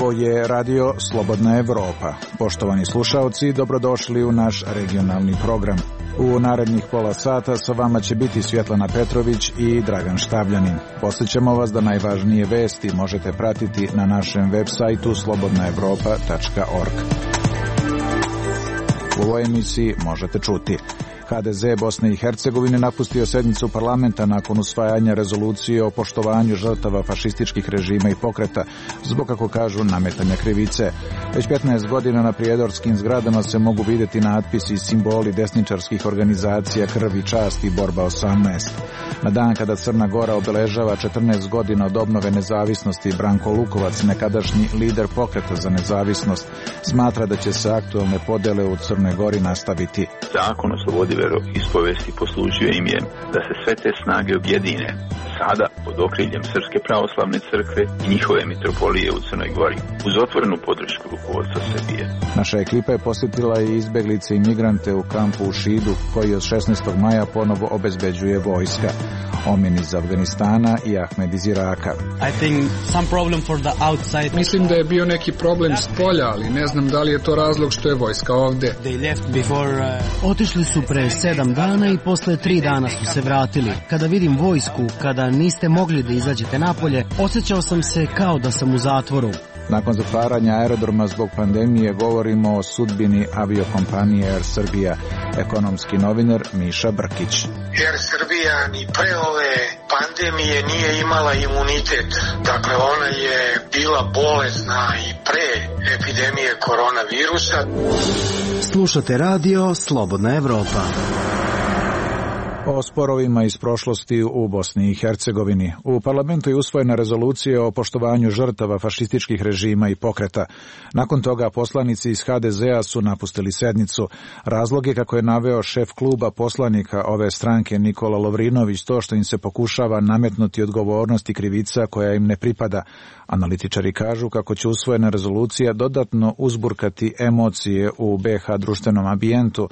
Ovo je radio Slobodna Evropa. Poštovani slušaoci, dobrodošli u naš regionalni program. U narednih pola sata sa vama će biti Svjetlana Petrović i Dragan Štabljanin. Posjećamo vas da najvažnije vesti možete pratiti na našem web sajtu slobodnaevropa.org. U ovoj emisiji možete čuti: HDZ Bosne i Hercegovine napustio sednicu parlamenta nakon usvajanja rezolucije o poštovanju žrtava fašističkih režima i pokreta zbog, kako kažu, nametanja krivice. Već 15 godina na prijedorskim zgradama se mogu vidjeti natpisi i simboli desničarskih organizacija Krv i čast i Borba 18. Na dan kada Crna Gora obeležava 14 godina od obnove nezavisnosti, Branko Lukovac, nekadašnji lider pokreta za nezavisnost, smatra da će se aktualne podjele u Crnoj Gori nastaviti. Zakon o slobodi veroispovesti poslužio im je da se sve te snage objedine sada pod okriljem Srpske pravoslavne crkve i njihove mitropolije u Crnoj Gori, uz otvorenu podršku rukovodstva Srbije. Naša ekipa je posjetila i izbeglice i migrante u kampu u Šidu, koji od 16. maja ponovo obezbeđuje vojska. Omin iz Afganistana i Ahmed iz Iraka. Mislim da je bio neki problem s polja, ali ne znam da li je to razlog što je vojska ovdje. Otišli su pre 7 dana i posle 3 dana su se vratili. Kada vidim vojsku, kada niste mogli da izađete napolje, osjećao sam se kao da sam u zatvoru. Nakon zatvaranja aerodroma zbog pandemije govorimo o sudbini aviokompanije Air Srbija. Ekonomski novinar Miša Brkić. Air Srbija ni pre ove pandemije nije imala imunitet. Dakle, ona je bila bolesna i pre epidemije koronavirusa. Slušate radio Slobodna Evropa. O sporovima iz prošlosti u Bosni i Hercegovini. U parlamentu je usvojena rezolucija o poštovanju žrtava fašističkih režima i pokreta. Nakon toga poslanici iz HDZ-a su napustili sednicu. Razlog je, kako je naveo šef kluba poslanika ove stranke Nikola Lovrinović, to što im se pokušava nametnuti odgovornost i krivica koja im ne pripada. Analitičari kažu kako će usvojena rezolucija dodatno uzburkati emocije u BiH društvenom ambijentu,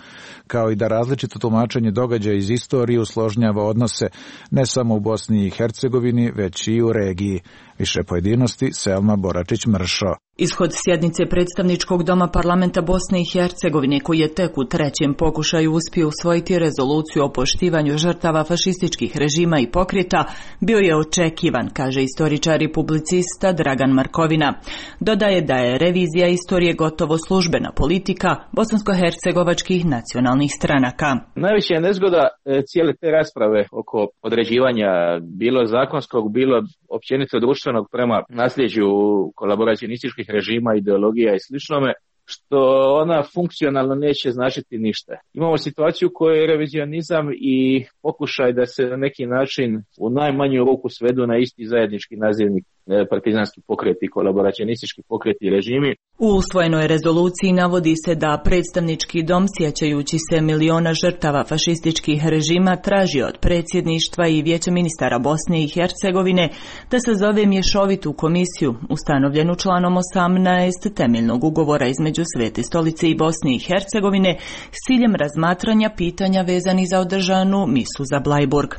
kao i da različito tumačenje događaja iz istorije usložnjava odnose ne samo u Bosni i Hercegovini, već i u regiji. Više pojedinosti Selma Boračić-Mršo. Ishod sjednice predstavničkog doma parlamenta Bosne i Hercegovine, koji je tek u trećem pokušaju uspio usvojiti rezoluciju o poštivanju žrtava fašističkih režima i pokreta, bio je očekivan, kaže istoričar i publicista Dragan Markovina. Dodaje da je revizija istorije gotovo službena politika bosansko-hercegovačkih nacionalnih stranaka. Najveća je nezgoda cijele te rasprave oko određivanja bilo zakonskog, bilo općenito društvenog prema nasljeđu kolaboracionističkih režima, ideologija i sličnome, što ona funkcionalno neće značiti ništa. Imamo situaciju u kojoj je revizionizam i pokušaj da se na neki način u najmanju ruku svedu na isti zajednički nazivnik partizanski pokreti, kolaboracionistički pokreti i režimi. U usvojenoj rezoluciji navodi se da predstavnički dom, sjećajući se miliona žrtava fašističkih režima, traži od predsjedništva i Vijeća ministara Bosne i Hercegovine da sazove mješovitu komisiju, ustanovljenu članom 18 temeljnog ugovora između Svete stolice i Bosne i Hercegovine, s ciljem razmatranja pitanja vezani za održanu misu za Blajburg.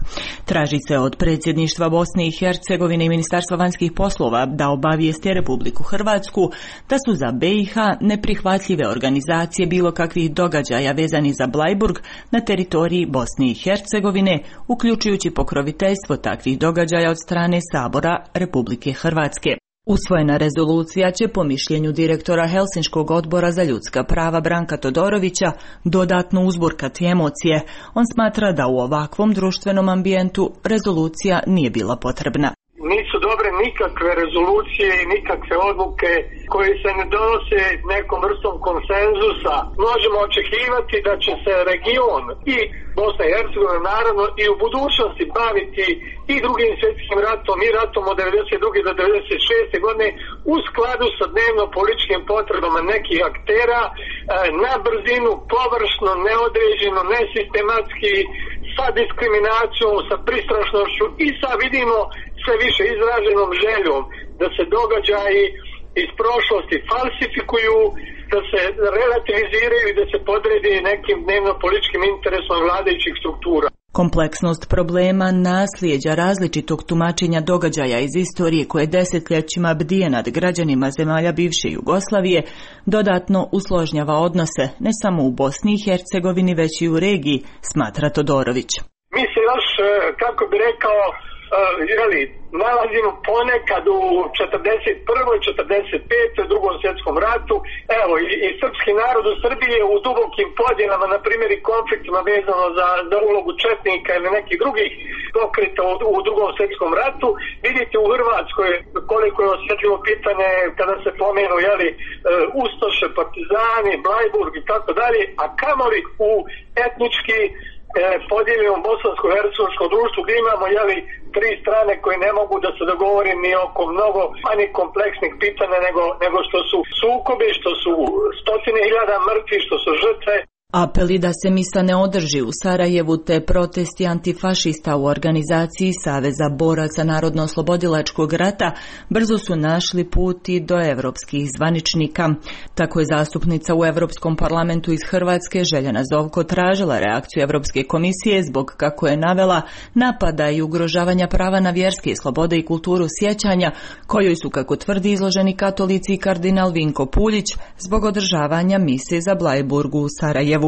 Traži se od predsjedništva Bosne i Hercegovine i Ministarstva vanjskih poslova da obavijesti Republiku Hrvatsku da su za BiH neprihvatljive organizacije bilo kakvih događaja vezani za Blajburg na teritoriji Bosne i Hercegovine, uključujući pokroviteljstvo takvih događaja od strane Sabora Republike Hrvatske. Usvojena rezolucija će, po mišljenju direktora Helsinškog odbora za ljudska prava Branka Todorovića, dodatno uzburkati emocije. On smatra da u ovakvom društvenom ambijentu rezolucija nije bila potrebna. Nisu dobre nikakve rezolucije i nikakve odluke koje se ne donose nekom vrstom konsenzusa. Možemo očekivati da će se region i Bosna i Hercegovina naravno i u budućnosti baviti i drugim svjetskim ratom i ratom od 92. do 96. godine u skladu sa dnevno političkim potrebama nekih aktera, na brzinu, površno, neodređeno, nesistematski, sa diskriminacijom, sa pristrašnošću i sa, vidimo, sve više izraženom željom da se događaji iz prošlosti falsifikuju, da se relativiziraju i da se podredi nekim dnevno političkim interesom vladajućih struktura. Kompleksnost problema, nasljeđa različitog tumačenja događaja iz istorije koje desetljećima bdije nad građanima zemalja bivše Jugoslavije dodatno usložnjava odnose ne samo u Bosni i Hercegovini već i u regiji, smatra Todorović. Mi se još, kako bi rekao, nalazimo ponekad u 41. 45. drugom svjetskom ratu, evo i srpski narod u Srbiji je u dubokim podjelama, na primjer i konfliktima vezano za ulogu četnika ili nekih drugih pokreta u drugom svjetskom ratu. Vidite u Hrvatskoj koliko je osjetljivo pitanje kada se pomenu ustaše, partizani, Blajburg i tako dalje, a kamoli u etnički podijeljenom bosansko-hercegovačkom društvu gdje imamo tri strane koje ne mogu da se dogovore ni oko mnogo manje kompleksnih pitanja nego što su sukobi, što su stotine hiljada mrtvih, što su žrtve. Apeli da se misa ne održi u Sarajevu te protesti antifašista u organizaciji Saveza boraca Narodno-oslobodilačkog rata brzo su našli put i do evropskih zvaničnika. Tako je zastupnica u Europskom parlamentu iz Hrvatske Željana Zovko tražila reakciju Europske komisije zbog, kako je navela, napada i ugrožavanja prava na vjerske slobode i kulturu sjećanja, kojoj su, kako tvrdi, izloženi katolici i kardinal Vinko Puljić zbog održavanja mise za Blajburgu u Sarajevu.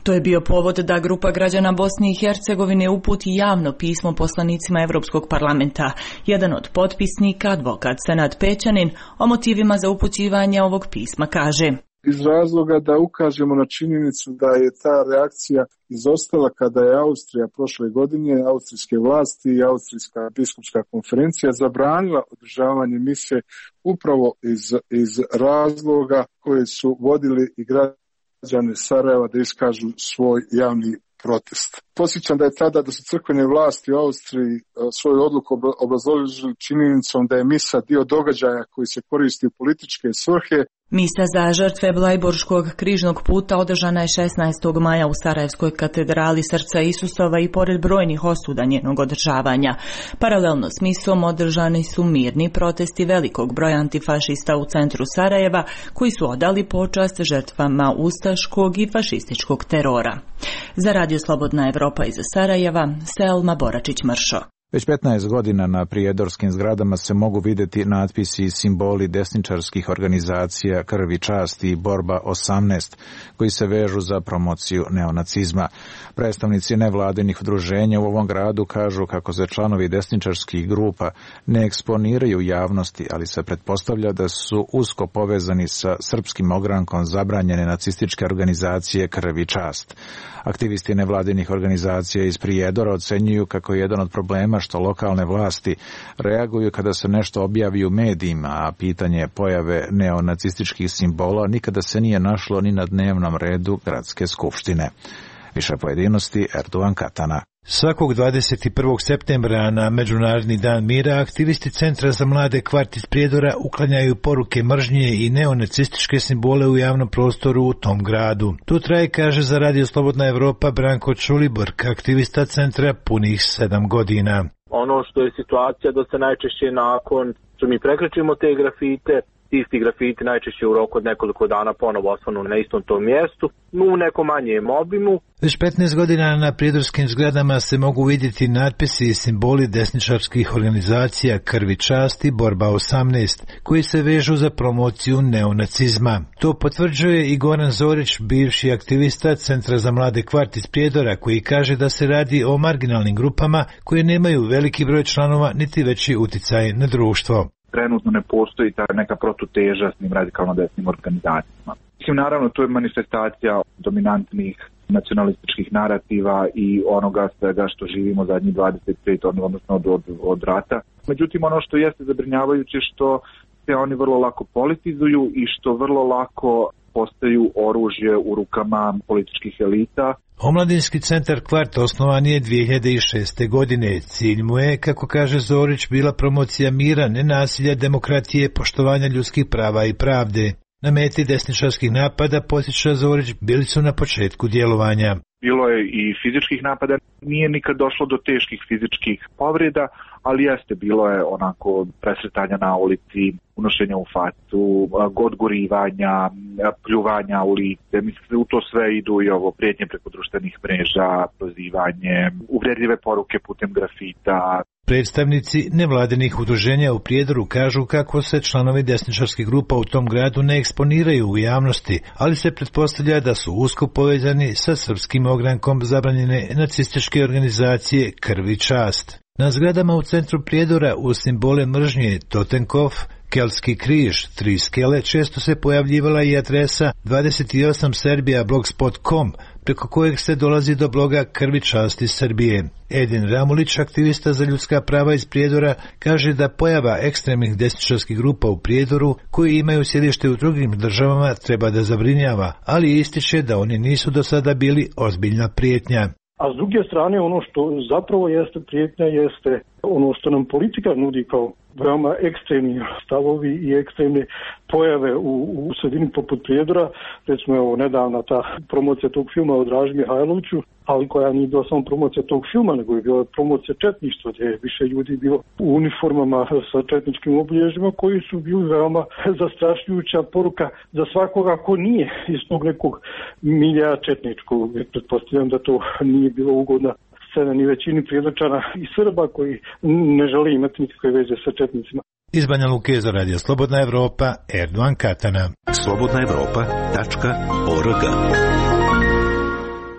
To je bio povod da grupa građana Bosne i Hercegovine uputi javno pismo poslanicima Europskog parlamenta. Jedan od potpisnika, advokat Senad Pećanin, o motivima za upućivanje ovog pisma kaže: iz razloga da ukažemo na činjenicu da je ta reakcija izostala kada je Austrija prošle godine, austrijske vlasti i Austrijska biskupska konferencija zabranila održavanje mise upravo iz razloga koje su vodili i građani Sarajeva da iskažu svoj javni protest. Posjećam da je tada da su crkvene vlasti u Austriji svoju odluku obrazložili činjenicom da je misa dio događaja koji se koristi u političke svrhe. Misa za žrtve Blajburškog križnog puta održana je 16. maja u Sarajevskoj katedrali Srca Isusova i pored brojnih osuda njenog održavanja. Paralelno s misom održani su mirni protesti velikog broja antifašista u centru Sarajeva koji su odali počast žrtvama ustaškog i fašističkog terora. Za Radio Slobodna Evropa iz Sarajeva, Selma Boračić-Mršo. Već 15 godina na prijedorskim zgradama se mogu vidjeti natpisi i simboli desničarskih organizacija Krv i čast i Borba 18, koji se vežu za promociju neonacizma. Predstavnici nevladinih udruženja u ovom gradu kažu kako se članovi desničarskih grupa ne eksponiraju u javnosti, ali se pretpostavlja da su usko povezani sa srpskim ogrankom zabranjene nacističke organizacije Krv i čast. Aktivisti nevladinih organizacija iz Prijedora ocenjuju kako je jedan od problema što lokalne vlasti reaguju kada se nešto objavi u medijima, a pitanje pojave neonacističkih simbola nikada se nije našlo ni na dnevnom redu gradske skupštine. Više pojedinosti Erdogan Katana. Svakog 21. septembra na Međunarodni dan mira aktivisti Centra za mlade Kvart iz Prijedora uklanjaju poruke mržnje i neonacističke simbole u javnom prostoru u tom gradu. To traje, kaže za Radio Slobodna Evropa Branko Čuliborg, aktivista centra punih 7 godina. Ono što je situacija da se najčešće nakon što mi prekrećimo te grafite, isti grafiti najčešće u roku od nekoliko dana ponovo osvanu na istom tom mjestu, u nekom manjem obimu. Već 15 godina na prijedorskim zgradama se mogu vidjeti natpisi i simboli desničarskih organizacija Krv i čast i Borba 18, koji se vežu za promociju neonacizma. To potvrđuje i Goran Zorić, bivši aktivista Centra za mlade Kvart iz Prijedora, koji kaže da se radi o marginalnim grupama koje nemaju veliki broj članova niti veći uticaj na društvo. Trenutno ne postoji ta neka protuteža s tim radikalno desnim organizacijama. Mislim, naravno, to je manifestacija dominantnih nacionalističkih narativa i onoga svega što živimo zadnjih 25, odnosno od rata. Međutim, ono što jeste zabrinjavajuće što se oni vrlo lako politizuju i što vrlo lako postaju oružje u rukama političkih elita. Omladinski centar Kvart osnovan je 2006. godine. Cilj mu je, kako kaže Zorić, bila promocija mira, nenasilja, demokratije, poštovanja ljudskih prava i pravde. Na meti desničarskih napada, podsjeća Zorić, bili su na početku djelovanja. Bilo je i fizičkih napada, nije nikad došlo do teških fizičkih povreda, ali jeste, bilo je onako presretanja na ulici, unošenja u facu, odgorivanja, pljuvanja u lice. Mislim, u to sve idu i ovo prijetnje preko društvenih mreža, prozivanje, uvredljive poruke putem grafita. Predstavnici nevladinih udruženja u Prijedoru kažu kako se članovi desničarskih grupa u tom gradu ne eksponiraju u javnosti, ali se pretpostavlja da su usko povezani sa srpskim ogrankom zabranjene nacističke organizacije Krv i čast. Na zgradama u centru Prijedora uz simbole mržnje Totenkov, Keltski križ, 3 skele, često se pojavljivala i adresa 28serbia.blogspot.com, preko kojeg se dolazi do bloga Krvi časti Srbije. Edin Ramulić, aktivista za ljudska prava iz Prijedora, kaže da pojava ekstremnih desničarskih grupa u Prijedoru, koji imaju sjedište u drugim državama, treba da zabrinjava, ali ističe da oni nisu do sada bili ozbiljna prijetnja. A s druge strane, ono što zapravo jeste prijetnja, jeste ono što nam politika nudi kao veoma ekstremni stavovi i ekstremne pojave u sredini poput Prijedora. Recimo, evo, nedavna ta promocija tog filma o Draži Mihajloviću, ali koja nije bila samo promocija tog filma, nego je bila promocija četništva, gdje je više ljudi bilo u uniformama sa četničkim obilježjima, koji su bili veoma zastrašujuća poruka za svakoga ko nije iz tog nekog milja četničkog. Pretpostavljam da to nije bilo ugodna scena ni većini Prijedorčana i Srba koji ne žele imati nikakve veze sa četnicima. Iz Banja Luke za Radio Slobodna Evropa, Erdogan Katana. slobodnaevropa.org.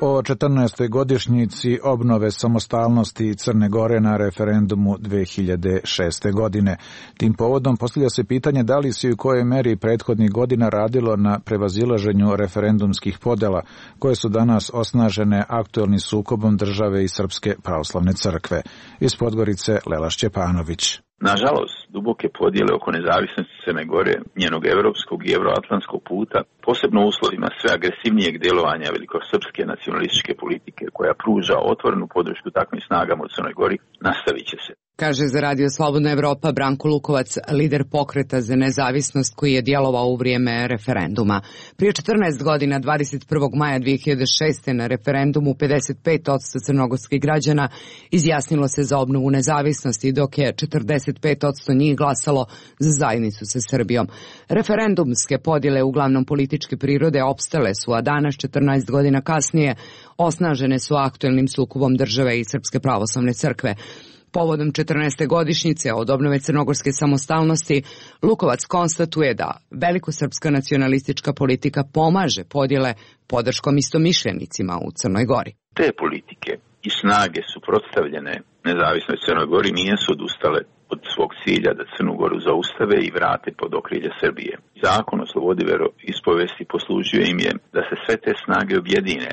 O 14. godišnjici obnove samostalnosti Crne Gore na referendumu 2006. godine. Tim povodom postavlja se pitanje da li se i u kojoj meri prethodnih godina radilo na prevazilaženju referendumskih podela, koje su danas osnažene aktuelnim sukobom države i Srpske pravoslavne crkve. Iz Podgorice Lela Šćepanović. Nažalost, duboke podjele oko nezavisnosti Crne Gore, njenog evropskog i euroatlantskog puta, posebno u uslovima sve agresivnijeg djelovanja velikosrpske nacionalističke politike koja pruža otvorenu podršku takvim snagama u Crnoj Gori, nastavit će se. Kaže za Radio Slobodna Evropa Branko Lukovac, lider pokreta za nezavisnost koji je djelovao u vrijeme referenduma. Prije 14 godina, 21. maja 2006. na referendumu 55% crnogorskih građana izjasnilo se za obnovu nezavisnosti, dok je 45% njih glasalo za zajednicu sa Srbijom. Referendumske podjele, uglavnom političke prirode, opstale su, a danas, 14 godina kasnije, osnažene su aktuelnim sukobom države i Srpske pravoslavne crkve. Povodom 14. godišnjice od obnove crnogorske samostalnosti, Lukovac konstatuje da velikosrpska nacionalistička politika pomaže podjele podrškom istomišljenicima u Crnoj Gori. Te politike i snage suprotstavljene nezavisnoj Crnoj Gori nisu odustale od svog cilja da Crnu Goru zaustave i vrate pod okrilje Srbije. Zakon o slobodi veroispovesti poslužio im je da se sve te snage objedine,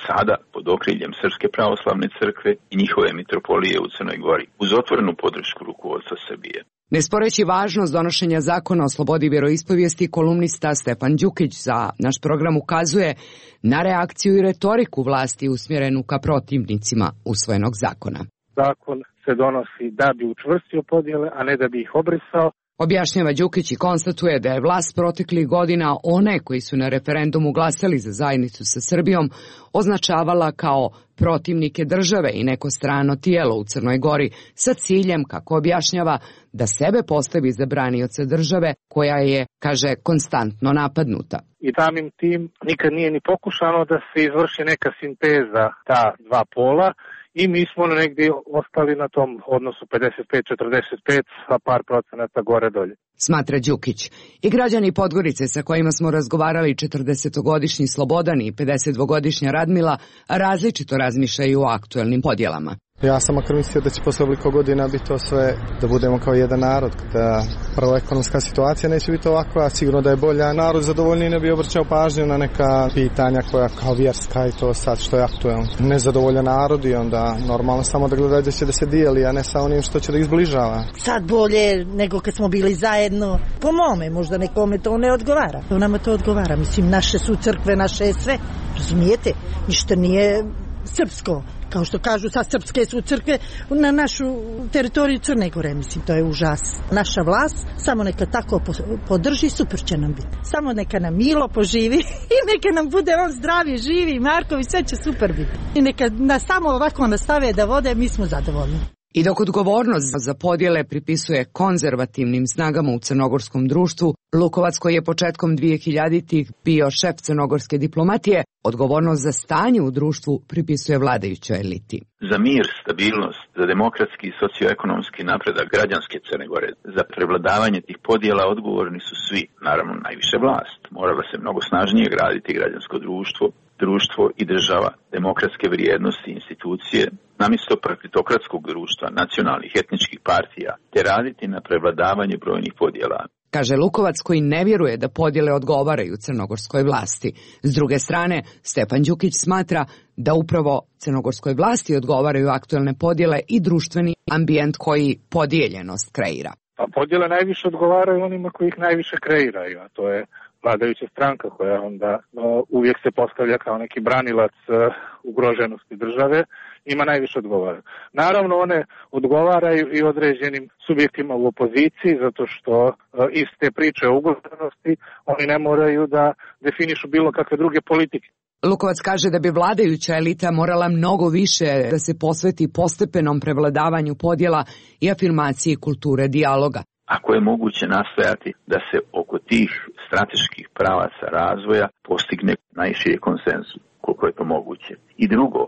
sada pod okriljem Srpske pravoslavne crkve i njihove mitropolije u Crnoj Gori, uz otvorenu podršku rukovodstva Srbije. Ne sporeći važnost donošenja zakona o slobodi vjeroispovijesti, kolumnista Stefan Đukić za naš program ukazuje na reakciju i retoriku vlasti usmjerenu ka protivnicima usvojenog zakona. Zakon se donosi da bi učvrstio podjele, a ne da bi ih obrisao. Objašnjava Đukić i konstatuje da je vlast proteklih godina one koji su na referendumu glasali za zajednicu sa Srbijom označavala kao protivnike države i neko strano tijelo u Crnoj Gori sa ciljem, kako objašnjava, da sebe postavi za branioca države koja je, kaže, konstantno napadnuta. I samim tim nikad nije ni pokušano da se izvrši neka sinteza ta dva pola. I mi smo negdje ostali na tom odnosu 55-45, a par procenata gore-dolje. Smatra Đukić. I građani Podgorice sa kojima smo razgovarali, 40-godišnji Slobodan i 52-godišnja Radmila, različito razmišljaju o aktuelnim podjelama. Ja sam makar mislio da će posle ovoliko godina biti to sve, da budemo kao jedan narod, da prvo ekonomska situacija neće biti ovakva, sigurno da je bolja. Narod zadovoljniji ne bi obraćao pažnju na neka pitanja koja kao vjerska i to sad što je aktuelno. Nezadovoljan narod i onda normalno samo da gleda da će da se dijeli, a ne sa onim što će da ih zbližava. Sad bolje nego kad smo bili zajedno. Po mome, možda nekome to ne odgovara. Nama to odgovara, mislim, naše su crkve, naše je sve, razumijete, ništa nije srpsko. Kao što kažu, sad srpske su crkve na našu teritoriju Crne Gore, mislim, to je užas. Naša vlast samo neka tako podrži, super će nam biti. Samo neka nam Milo poživi i neka nam bude on zdravi, živi, Marković, sve će super biti. I neka nas samo ovako nastave da vode, mi smo zadovoljni. I dok odgovornost za podjele pripisuje konzervativnim snagama u crnogorskom društvu, Lukovac, koji je početkom 2000-ih bio šef crnogorske diplomatije, odgovornost za stanje u društvu pripisuje vladajućoj eliti. Za mir, stabilnost, za demokratski i socioekonomski napredak građanske Crne Gore, za prevladavanje tih podjela odgovorni su svi, naravno najviše vlast. Morala se mnogo snažnije graditi građansko društvo i država, demokratske vrijednosti i institucije, namjesto partitokratskog društva, nacionalnih etničkih partija, te raditi na prevladavanju brojnih podjela. Kaže Lukovac, koji ne vjeruje da podjele odgovaraju crnogorskoj vlasti. S druge strane, Stefan Đukić smatra da upravo crnogorskoj vlasti odgovaraju aktuelne podjele i društveni ambijent koji podijeljenost kreira. Pa podjele najviše odgovaraju onima koji ih najviše kreiraju, a to je vladajuća stranka koja onda uvijek se postavlja kao neki branilac ugroženosti države, ima najviše odgovara. Naravno, one odgovaraju i određenim subjektima u opoziciji, zato što iz te priče o ugroženosti oni ne moraju da definišu bilo kakve druge politike. Lukovac kaže da bi vladajuća elita morala mnogo više da se posveti postepenom prevladavanju podjela i afirmaciji kulture dijaloga. Ako je moguće nastojati da se oko tih strateških pravaca razvoja postigne najširi konsenzus, koliko je to moguće. I drugo,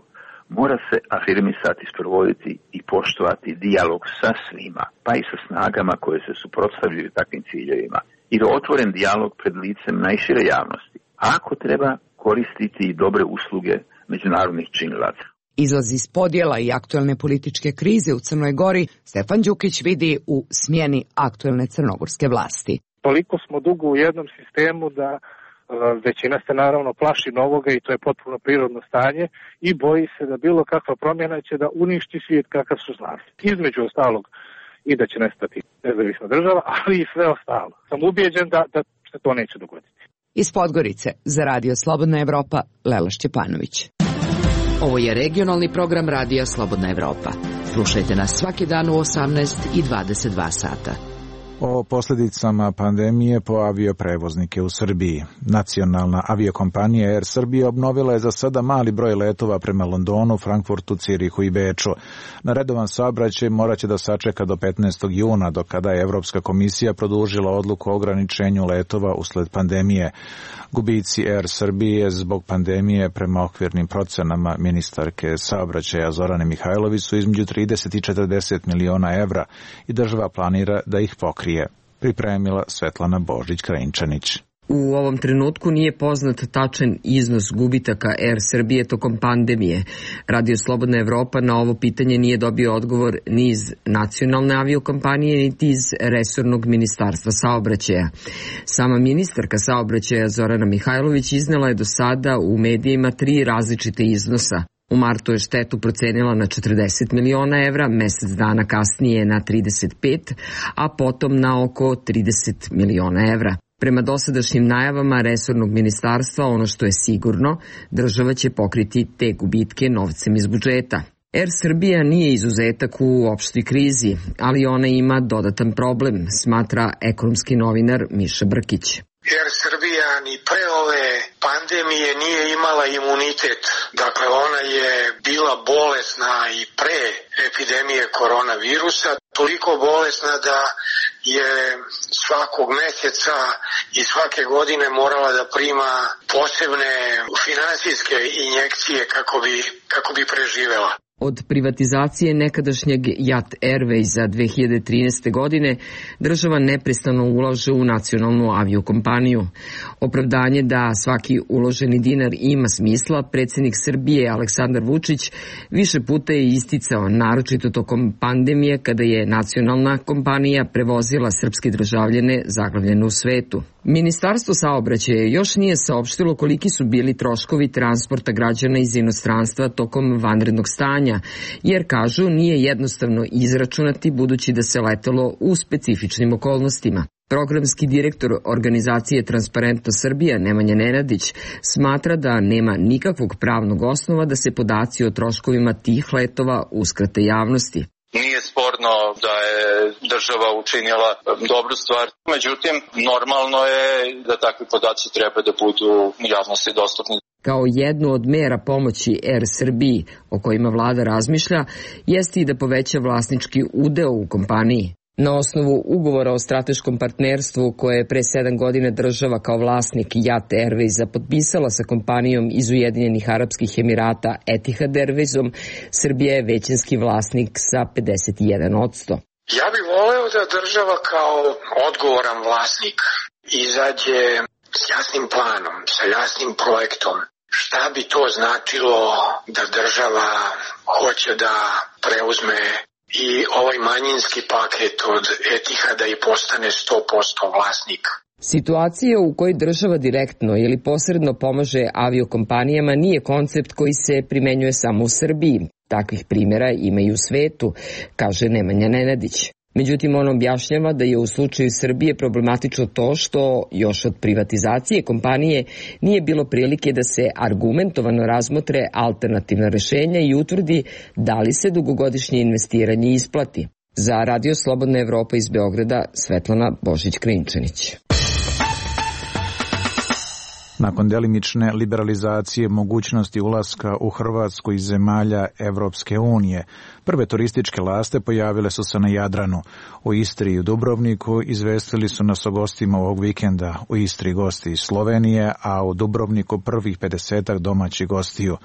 mora se afirmisati, sprovoditi i poštovati dijalog sa svima, pa i sa snagama koje se suprotstavljaju takvim ciljevima. I otvoren dijalog pred licem najšire javnosti. A ako treba, koristiti i dobre usluge međunarodnih činilaca. Izlaz iz podjela i aktuelne političke krize u Crnoj Gori Stefan Đukić vidi u smjeni aktuelne crnogorske vlasti. Toliko smo dugo u jednom sistemu da većina se naravno plaši novoga i to je potpuno prirodno stanje i boji se da bilo kakva promjena će da uništi svijet kakav su znali. Između ostalog i da će nestati nezavisna država, ali i sve ostalo. Sam ubijeđen da se to neće dogoditi. Iz Podgorice za Radio Slobodna Evropa, Lela Šćepanović. Ovo je regionalni program Radija Slobodna Evropa. Slušajte nas svaki dan u 18 i 22 sata. O posljedicama pandemije po avioprevoznike u Srbiji. Nacionalna aviokompanija Air Srbija obnovila je za sada mali broj letova prema Londonu, Frankfurtu, Cirihu i Beču. Na redovan saobraćaj morat će da sačeka do 15. juna, do kada je Evropska komisija produžila odluku o ograničenju letova usled pandemije. Gubici Air Srbije zbog pandemije prema okvirnim procenama ministarke saobraćaja Zorane Mihajlović su između 30 i 40 miliona evra i država planira da ih pokrije. Pripremila Svetlana Božić-Krajinčanić. U ovom trenutku nije poznat tačan iznos gubitaka Air Srbije tokom pandemije. Radio Slobodna Evropa na ovo pitanje nije dobio odgovor ni iz nacionalne aviokompanije, niti iz resornog ministarstva saobraćaja. Sama ministarka saobraćaja Zorana Mihajlović iznela je do sada u medijima 3 različite iznosa. U martu je štetu procenila na 40 miliona evra, mjesec dana kasnije na 35, a potom na oko 30 miliona evra. Prema dosadašnjim najavama resornog ministarstva, ono što je sigurno, država će pokriti te gubitke novcem iz budžeta. Air Srbija nije izuzetak u opštoj krizi, ali ona ima dodatan problem, smatra ekonomski novinar Miša Brkić. Air Srbija ni pre ove pandemije nije imala imunitet. Dakle, ona je bila bolesna i pre epidemije koronavirusa, toliko bolesna da je svakog mjeseca i svake godine morala da prima posebne finansijske injekcije kako bi preživela. Od privatizacije nekadašnjeg JAT Airwaysa 2013. godine država neprestano ulaže u nacionalnu aviokompaniju. Opravdanje da svaki uloženi dinar ima smisla, predsjednik Srbije Aleksandar Vučić više puta je isticao, naročito tokom pandemije kada je nacionalna kompanija prevozila srpske državljane zaglavljene u svetu. Ministarstvo saobraćaja još nije saopštilo koliki su bili troškovi transporta građana iz inostranstva tokom vanrednog stanja, jer kažu nije jednostavno izračunati budući da se letelo u specifičnim okolnostima. Programski direktor organizacije Transparentno Srbija Nemanja Nenadić smatra da nema nikakvog pravnog osnova da se podaci o troškovima tih letova uskrate javnosti. Nije sporno da je država učinila dobru stvar, međutim normalno je da takvi podaci treba da budu javnosti dostupni. Kao jednu od mera pomoći Air Srbiji, o kojima vlada razmišlja, jeste i da poveća vlasnički udeo u kompaniji. Na osnovu ugovora o strateškom partnerstvu koje je pre 7 godina država kao vlasnik Jat Airwaysa potpisala sa kompanijom iz Ujedinjenih Arapskih Emirata Etihad Airwaysom, Srbija je većinski vlasnik sa 51%. Ja bih voleo da država kao odgovoran vlasnik izađe s jasnim planom, sa jasnim projektom. Šta bi to značilo da država hoće da preuzme i ovaj manjinski paket od Etihada i postane 100% vlasnik? Situacija u kojoj država direktno ili posredno pomaže aviokompanijama nije koncept koji se primenjuje samo u Srbiji. Takvih primjera ima i u svetu, kaže Nemanja Nenadić. Međutim, on objašnjava da je u slučaju Srbije problematično to što još od privatizacije kompanije nije bilo prilike da se argumentovano razmotre alternativna rešenja i utvrdi da li se dugogodišnje investiranje isplati. Za Radio Slobodna Evropa iz Beograda, Svetlana Božić-Krinčanić. Nakon delimične liberalizacije mogućnosti ulaska u Hrvatsku iz zemalja Evropske unije, prve turističke laste pojavile su se na Jadranu. U Istri i u Dubrovniku izvestili su nas o gostima ovog vikenda. U Istri gosti iz Slovenije, a u Dubrovniku prvih 50 domaćih gostiju.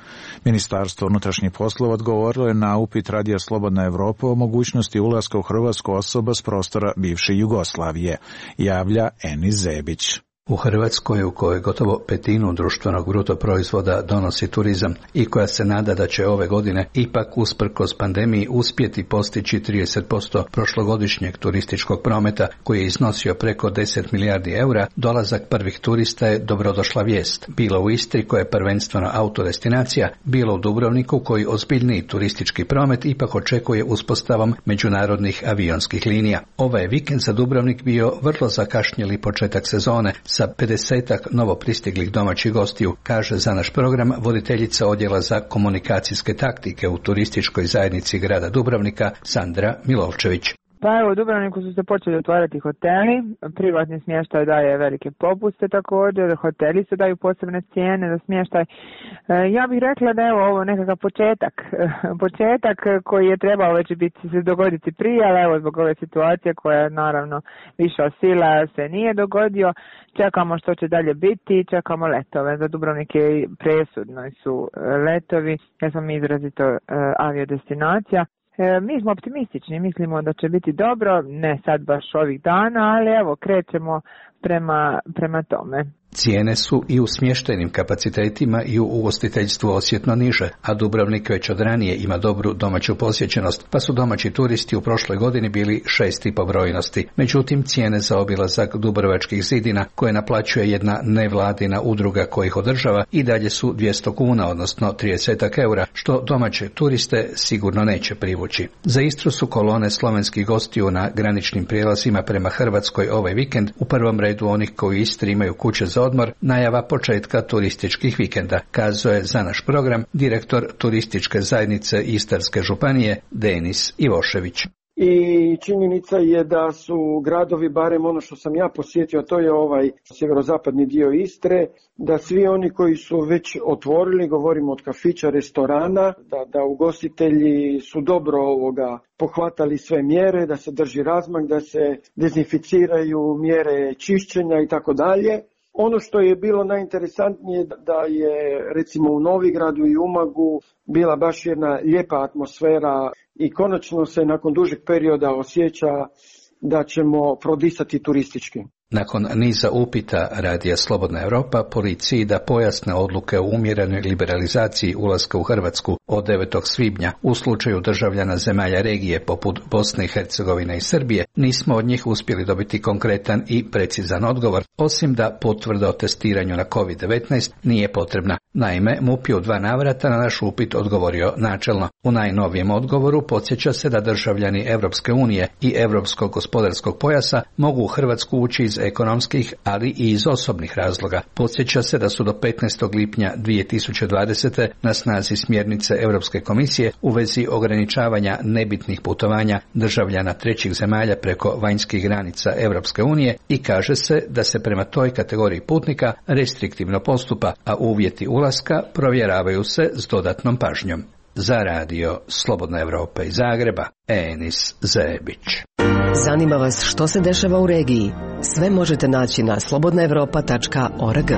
Ministarstvo unutrašnjih poslova odgovorilo je na upit Radija Slobodna Evropa o mogućnosti ulaska u Hrvatsku osoba s prostora bivše Jugoslavije, javlja Enis Zebić. U Hrvatskoj, u kojoj gotovo petinu društvenog bruto proizvoda donosi turizam i koja se nada da će ove godine ipak usprkos pandemiji uspjeti postići 30% prošlogodišnjeg turističkog prometa koji je iznosio preko 10 milijardi eura, dolazak prvih turista je dobrodošla vijest. Bilo u Istri koja je prvenstveno autodestinacija, bilo u Dubrovniku koji ozbiljniji turistički promet ipak očekuje uspostavom međunarodnih avionskih linija. Ovaj je vikend za Dubrovnik bio vrlo zakašnjeli početak sezone sa 50 novo pristiglih domaćih gostiju, kaže za naš program voditeljica odjela za komunikacijske taktike u turističkoj zajednici grada Dubrovnika Sandra Milovčević. Pa evo, u Dubrovniku su se počeli otvarati hoteli, privatni smještaj daje velike popuste također, hoteli se daju posebne cijene za smještaj. Ja bih rekla da evo ovo nekakav početak koji je trebao već se dogoditi prije, ali evo zbog ove situacije koja je naravno viša sila se nije dogodio. Čekamo što će dalje biti, čekamo letove. Za Dubrovnik je presudno su letovi, jer smo mi izrazito aviodestinacija. Mi smo optimistični, mislimo da će biti dobro, ne sad baš ovih dana, ali evo krećemo prema tome. Cijene su i u smještajnim kapacitetima i u ugostiteljstvu osjetno niže, a Dubrovnik već od ranije ima dobru domaću posjećenost, pa su domaći turisti u prošloj godini bili 6 po brojnosti. Međutim, cijene za obilazak Dubrovačkih zidina, koje naplaćuje jedna nevladina udruga koja ih održava, i dalje su 200 kuna, odnosno 30 eura, što domaće turiste sigurno neće privući. Za Istru su kolone slovenskih gostiju na graničnim prijelazima prema Hrvatskoj ovaj vikend, u prvom redu onih koji u Istri imaju kuće za odmor, najava početka turističkih vikenda, kazao je za naš program direktor turističke zajednice Istarske županije Denis Ivošević. I činjenica je da su gradovi, barem ono što sam ja posjetio, to je ovaj sjeverozapadni dio Istre, da svi oni koji su već otvorili, govorimo od kafića, restorana, da ugostitelji su dobro pohvatali sve mjere, da se drži razmak, da se dezinficiraju mjere čišćenja i tako dalje. Ono što je bilo najinteresantnije da je recimo u Novigradu i Umagu bila baš jedna lijepa atmosfera i konačno se nakon dužeg perioda osjeća da ćemo prodisati turistički. Nakon niza upita Radija Slobodna Evropa policiji da pojasne odluke o umjerenoj liberalizaciji ulaska u Hrvatsku od 9. svibnja u slučaju državljana zemalja regije poput Bosne i Hercegovine i Srbije, nismo od njih uspjeli dobiti konkretan i precizan odgovor, osim da potvrda o testiranju na COVID-19 nije potrebna. Naime, MUP je u 2 navrata na naš upit odgovorio načelno. U najnovijem odgovoru podsjeća se da državljani Evropske unije i Europskog gospodarskog pojasa mogu u Hrvatsku ući iz ekonomskih, ali i iz osobnih razloga. Podsjeća se da su do 15. lipnja 2020. na snazi smjernice Europske komisije u vezi ograničavanja nebitnih putovanja državljana trećih zemalja preko vanjskih granica Europske unije i kaže se da se prema toj kategoriji putnika restriktivno postupa, a uvjeti ulaska provjeravaju se s dodatnom pažnjom. Za radio Slobodna Evropa iz Zagreba, Enis Zebić. Zanima vas što se dešava u regiji? Sve možete naći na slobodnaevropa.org.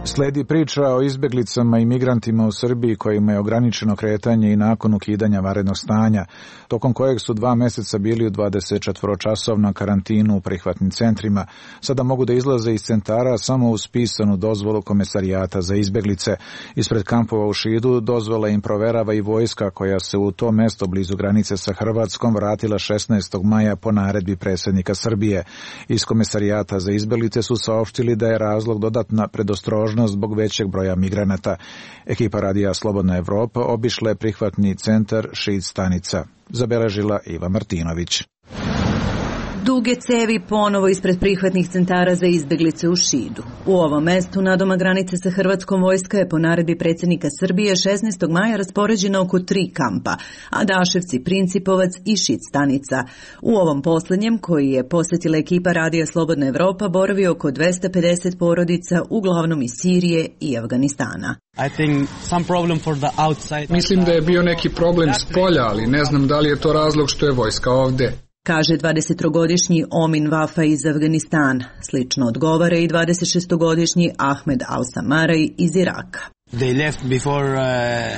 Sledi priča o izbjeglicama i migrantima u Srbiji kojima je ograničeno kretanje i nakon ukidanja vanrednog stanja, tokom kojeg su 2 mjeseca bili u 24-časovnom karantinu u prihvatnim centrima. Sada mogu da izlaze iz centara samo uz pisanu dozvolu Komesarijata za izbjeglice. Ispred kampova u Šidu dozvola im proverava i vojska koja se u to mesto blizu granice sa Hrvatskom vratila 16. maja po naredbi predsjednika Srbije. Iz Komesarijata za izbjeglice su saopštili da je razlog dodatna predostrožnost zbog većeg broja migranata. Ekipa radija Slobodna Evropa obišla je prihvatni centar Šid stanica. Zabeležila Iva Martinović. Duge cevi ponovo ispred prihvatnih centara za izbjeglice u Šidu. U ovom mestu nadoma granice sa Hrvatskom vojska je po naredbi predsjednika Srbije 16. maja raspoređena oko 3 kampa, Adaševci, Principovac i Šid stanica. U ovom posljednjem, koji je posjetila ekipa radija Slobodna Evropa, boravi oko 250 porodica, uglavnom iz Sirije i Afganistana. Mislim da je bio neki problem s polja, ali ne znam da li je to razlog što je vojska ovdje, kaže 23-godišnji Omin Vafa iz Afganistana. Slično odgovara i 26-godišnji Ahmed Al-Samaraj iz Iraka.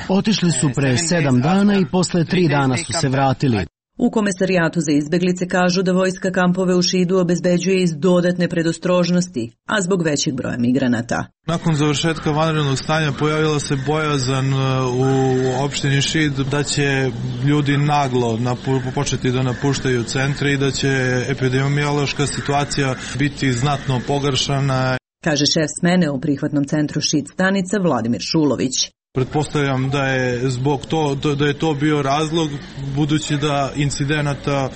Otišli su pre 7 dana i posle 3 dana su se vratili. U Komesarijatu za izbjeglice kažu da vojska kampove u Šidu obezbeđuje iz dodatne predostrožnosti, a zbog većeg broja migranata. Nakon završetka vanrednog stanja pojavila se bojazan u opštini Šid da će ljudi naglo početi da napuštaju centre i da će epidemiološka situacija biti znatno pogoršana, kaže šef smene u prihvatnom centru Šid stanica Vladimir Šulović. Pretpostavljam da je zbog da je to bio razlog, budući da incidenata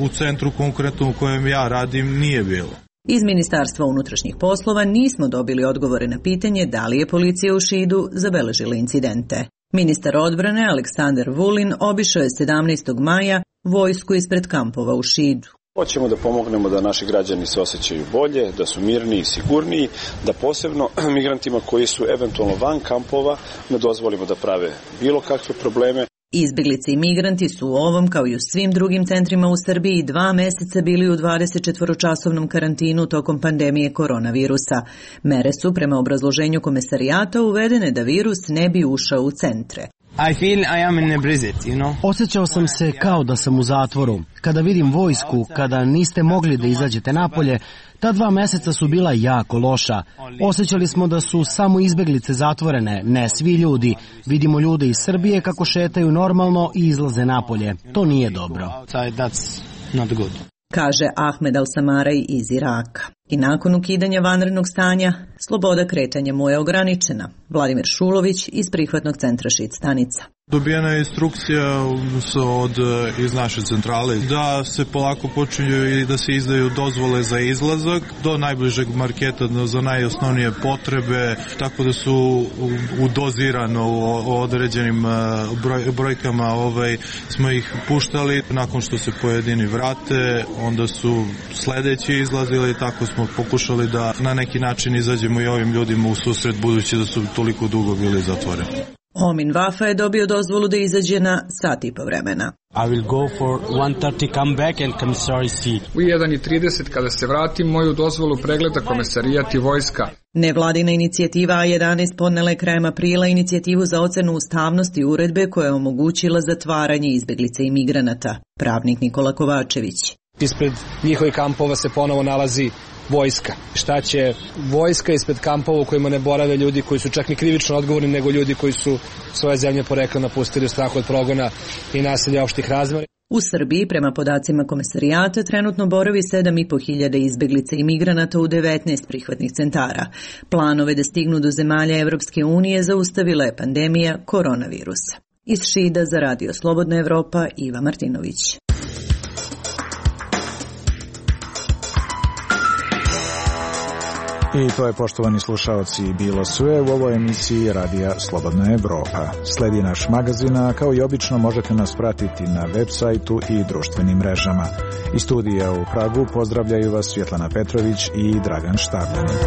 u centru konkretno u kojem ja radim nije bilo. Iz Ministarstva unutrašnjih poslova nismo dobili odgovore na pitanje da li je policija u Šidu zabeležila incidente. Ministar odbrane Aleksandar Vulin obišao je 17. maja vojsku ispred kampova u Šidu. Hoćemo da pomognemo da naši građani se osjećaju bolje, da su mirniji i sigurniji, da posebno migrantima koji su eventualno van kampova ne dozvolimo da prave bilo kakve probleme. Izbjeglice i migranti su u ovom, kao i u svim drugim centrima u Srbiji, 2 mjeseca bili u 24-časovnom karantinu tokom pandemije koronavirusa. Mere su, prema obrazloženju Komesarijata, uvedene da virus ne bi ušao u centre. Osjećao sam se kao da sam u zatvoru. Kada vidim vojsku, kada niste mogli da izađete napolje, ta 2 mjeseca su bila jako loša. Osjećali smo da su samo izbjeglice zatvorene, ne svi ljudi. Vidimo ljude iz Srbije kako šetaju normalno i izlaze napolje. To nije dobro, kaže Ahmed Al-Samaraj iz Iraka. I nakon ukidanja vanrednog stanja, sloboda kretanja mu je ograničena. Vladimir Šulović iz prihvatnog centra Šid stanica. Dobijena je instrukcija iz naše centrale da se polako počinju i da se izdaju dozvole za izlazak do najbližeg marketa za najosnovnije potrebe, tako da su udozirano u određenim brojkama smo ih puštali. Nakon što se pojedini vrate, onda su sledeći izlazili, tako smo pokušali da na neki način izađemo i ovim ljudima u susret, budući da su toliko dugo bili zatvoreni. Omin Vafa je dobio dozvolu da izađe na sat i po vremena. I will go for 1:30 come back and commissary see. U 1:30 kada se vratim, moju dozvolu pregleda Komesarijat i vojska. Nevladina inicijativa A11 podnela je krajem aprila inicijativu za ocenu ustavnosti uredbe koja je omogućila zatvaranje izbjeglica i migranata. Pravnik Nikola Kovačević. Ispred njihovih kampova se ponovo nalazi vojska. Šta će vojska ispred kampova u kojima ne borave ljudi koji su čak ni krivično odgovorni, nego ljudi koji su svoje zemlje porekla napustili u strahu od progona i nasilja opštih razmera? U Srbiji, prema podacima Komesarijata, trenutno boravi 7.500 izbjeglica i migranata u 19 prihvatnih centara. Planove da stignu do zemalja Evropske unije zaustavila je pandemija koronavirusa. Iz Šida za radio Slobodna Evropa, Iva Martinović. I to je, poštovani slušaoci, bilo sve u ovoj emisiji Radija Slobodna Evropa. Sledi naš magazin, a kao i obično možete nas pratiti na web sajtu i društvenim mrežama. Iz studija u Pragu pozdravljaju vas Svjetlana Petrović i Dragan Štavljanin.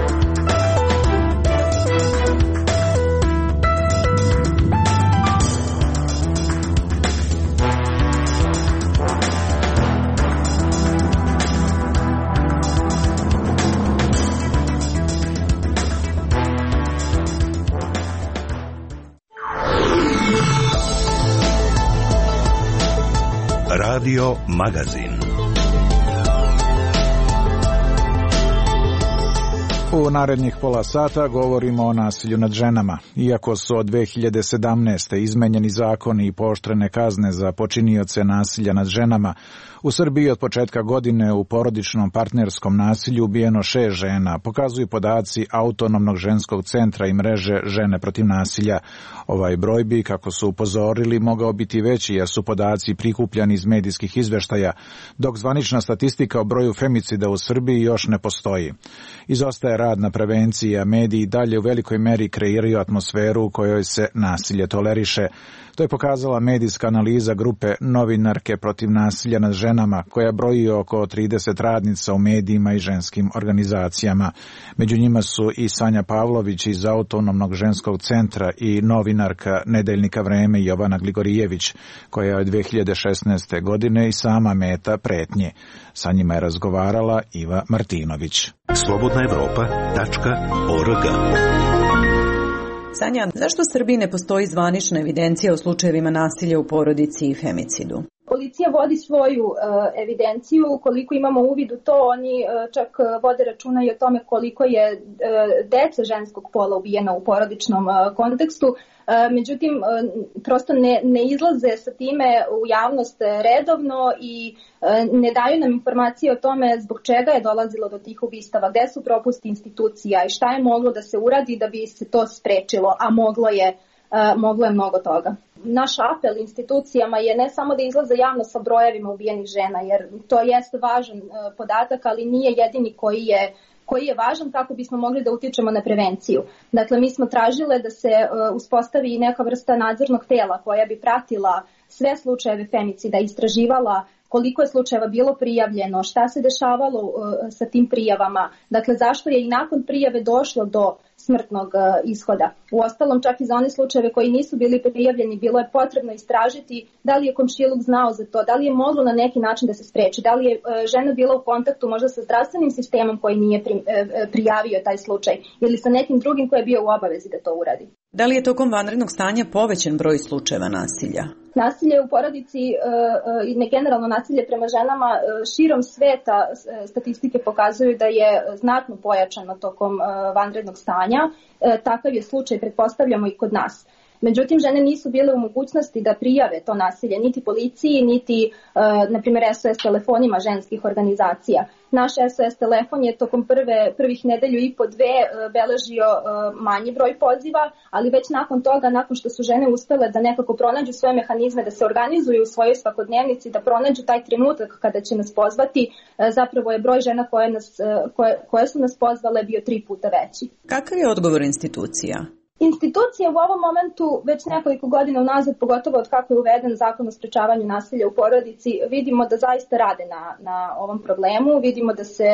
Radio Magazin. U narednih pola sata govorimo o nasilju nad ženama. Iako su od 2017. izmenjeni zakoni i pooštrene kazne za počinioce nasilja nad ženama, u Srbiji od početka godine u porodičnom partnerskom nasilju ubijeno 6 žena, pokazuju podaci Autonomnog ženskog centra i mreže Žene protiv nasilja. Ovaj broj bi, kako su upozorili, mogao biti veći jer su podaci prikupljani iz medijskih izveštaja, dok zvanična statistika o broju femicida u Srbiji još ne postoji. Izostaje rad na prevenciji, a mediji dalje u velikoj meri kreiraju atmosferu u kojoj se nasilje toleriše. To je pokazala medijska analiza grupe Novinarke protiv nasilja nad ženama, koja broji oko 30 radnica u medijima i ženskim organizacijama. Među njima su i Sanja Pavlović iz Autonomnog ženskog centra i novinarka Nedeljnika Vreme Jovana Gligorijević, koja je od 2016. godine i sama meta pretnje. Sa njima je razgovarala Iva Martinović. slobodnaevropa.org. Sanja, zašto u Srbiji ne postoji zvanična evidencija o slučajevima nasilja u porodici i femicidu? Policija vodi svoju evidenciju, koliko imamo uvid u to, oni čak vode računa i o tome koliko je dece ženskog pola ubijeno u porodičnom kontekstu. Međutim, prosto ne izlaze sa time u javnost redovno i ne daju nam informacije o tome zbog čega je dolazilo do tih ubistava, gde su propusti institucija i šta je moglo da se uradi da bi se to sprečilo, a moglo je mnogo toga. Naš apel institucijama je ne samo da izlaze javno sa brojevima ubijenih žena, jer to jeste važan podatak, ali nije jedini koji je važan kako bismo mogli da utičemo na prevenciju. Dakle, mi smo tražile da se uspostavi neka vrsta nadzornog tela koja bi pratila sve slučajeve femicida, istraživala koliko je slučajeva bilo prijavljeno, šta se dešavalo sa tim prijavama, dakle zašto je i nakon prijave došlo do smrtnog ishoda. Uostalom, čak i za one slučajeve koji nisu bili prijavljeni, bilo je potrebno istražiti da li je komšiluk znao za to, da li je moglo na neki način da se spreči, da li je žena bila u kontaktu možda sa zdravstvenim sistemom koji nije prijavio taj slučaj ili sa nekim drugim koji je bio u obavezi da to uradi. Da li je tokom vanrednog stanja povećan broj slučajeva nasilja? Nasilje u porodici i generalno nasilje prema ženama širom sveta statistike pokazuju da je znatno pojačano tokom vanrednog stanja. Takav je slučaj, pretpostavljamo, i kod nas. Međutim, žene nisu bile u mogućnosti da prijave to nasilje niti policiji, niti, na primjer, SOS telefonima ženskih organizacija. Naš SOS telefon je tokom prvih nedelju i po dve beležio manji broj poziva, ali već nakon toga, nakon što su žene uspele da nekako pronađu svoje mehanizme, da se organizuju u svojoj svakodnevnici, da pronađu taj trenutak kada će nas pozvati, zapravo je broj žena koje su nas pozvale bio 3 puta veći. Kakav je odgovor institucija? Institucije u ovom momentu već nekoliko godina unazad, pogotovo od kako je uveden zakon o sprečavanju nasilja u porodici, vidimo da zaista rade na ovom problemu, vidimo da se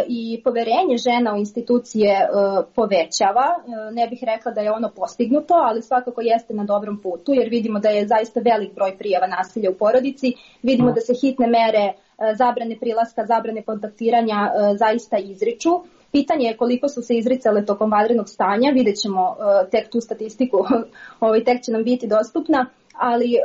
i poverenje žena u institucije povećava. Ne bih rekla da je ono postignuto, ali svakako jeste na dobrom putu, jer vidimo da je zaista velik broj prijava nasilja u porodici, vidimo da se hitne mere zabrane prilaska, zabrane kontaktiranja zaista izriču. Pitanje je koliko su se izricale tokom vanrednog stanja, vidjet ćemo tek tu statistiku, tek će nam biti dostupna, ali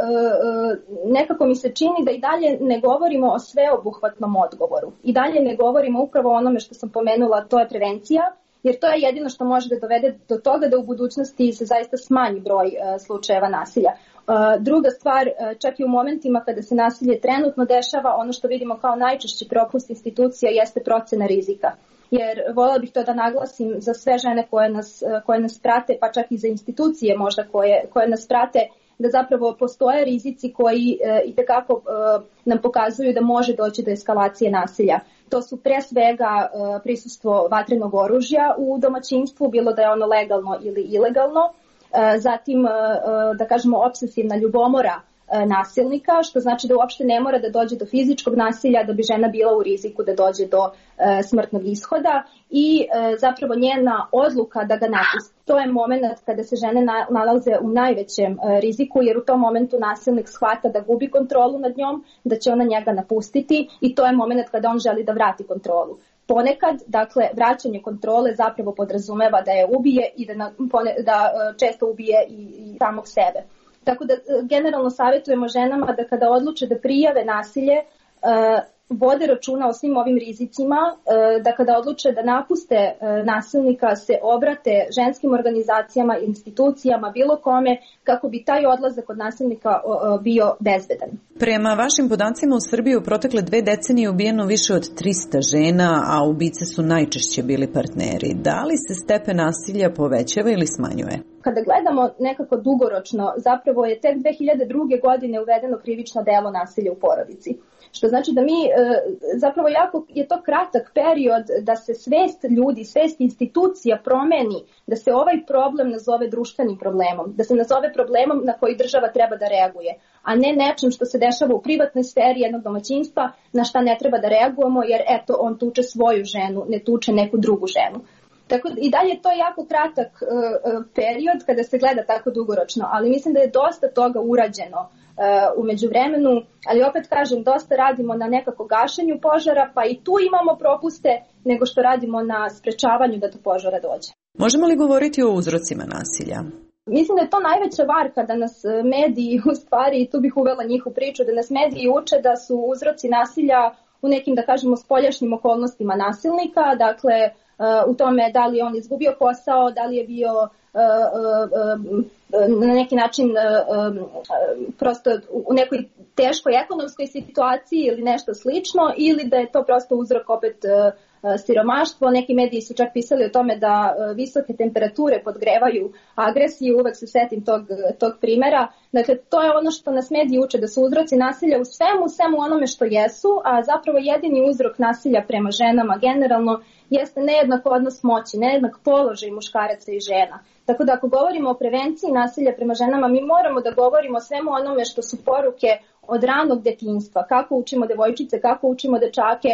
nekako mi se čini da i dalje ne govorimo o sveobuhvatnom odgovoru. I dalje ne govorimo upravo o onome što sam pomenula, to je prevencija, jer to je jedino što može da dovede do toga da u budućnosti se zaista smanji broj slučajeva nasilja. Druga stvar, čak i u momentima kada se nasilje trenutno dešava, ono što vidimo kao najčešći propust institucija jeste procena rizika. Jer voljela bih to da naglasim za sve žene koje nas prate, pa čak i za institucije možda koje nas prate, da zapravo postoje rizici koji itekako nam pokazuju da može doći do eskalacije nasilja. To su pre svega prisustvo vatrenog oružja u domaćinstvu, bilo da je ono legalno ili ilegalno, zatim da kažemo opsesivna ljubomora nasilnika, što znači da uopšte ne mora da dođe do fizičkog nasilja da bi žena bila u riziku da dođe do smrtnog ishoda i zapravo njena odluka da ga napusti. To je moment kada se žene nalaze u najvećem riziku, jer u tom momentu nasilnik shvata da gubi kontrolu nad njom, da će ona njega napustiti i to je moment kada on želi da vrati kontrolu. Ponekad, dakle, vraćanje kontrole zapravo podrazumeva da je ubije i da često ubije i samog sebe. Tako da generalno savjetujemo ženama da kada odluče da prijave nasilje, vode računa o svim ovim rizicima, da kada odluče da napuste nasilnika se obrate ženskim organizacijama, institucijama, bilo kome, kako bi taj odlazak od nasilnika bio bezbedan. Prema vašim podacima u Srbiji u protekle 2 decenije ubijeno više od 300 žena, a ubice su najčešće bili partneri. Da li se stepen nasilja povećava ili smanjuje? Kada gledamo nekako dugoročno, zapravo je tek 2002. godine uvedeno krivično delo nasilja u porodici. Što znači da mi, zapravo jako je to kratak period da se svest ljudi, svest institucija promeni, da se ovaj problem nazove društvenim problemom, da se nazove problemom na koji država treba da reaguje, a ne nečim što se dešava u privatnoj sferi jednog domaćinstva na šta ne treba da reagujemo jer eto on tuče svoju ženu, ne tuče neku drugu ženu. Tako i dalje je to jako kratak period kada se gleda tako dugoročno, ali mislim da je dosta toga urađeno u međuvremenu, ali opet kažem, dosta radimo na nekako gašenju požara, pa i tu imamo propuste nego što radimo na sprečavanju da do požara dođe. Možemo li govoriti o uzrocima nasilja? Mislim da je to najveća varka da nas mediji, u stvari, i tu bih uvela njih u priču, da nas mediji uče da su uzroci nasilja u nekim, da kažemo, spoljašnjim okolnostima nasilnika, dakle, u tome da li je on izgubio posao, da li je bio na neki način prosto u nekoj teškoj ekonomskoj situaciji ili nešto slično, ili da je to prosto uzrok opet siromaštvo. Neki mediji su čak pisali o tome da visoke temperature podgrevaju agresiju, uvek se setim tog primera. Dakle, to je ono što nas mediji uče, da su uzroci nasilja u svemu onome što jesu, a zapravo jedini uzrok nasilja prema ženama generalno jeste nejednak odnos moći, nejednak položaj muškaraca i žena. Tako da ako govorimo o prevenciji nasilja prema ženama, mi moramo da govorimo o svemu onome što su poruke od ranog detinjstva, kako učimo devojčice, kako učimo dečake,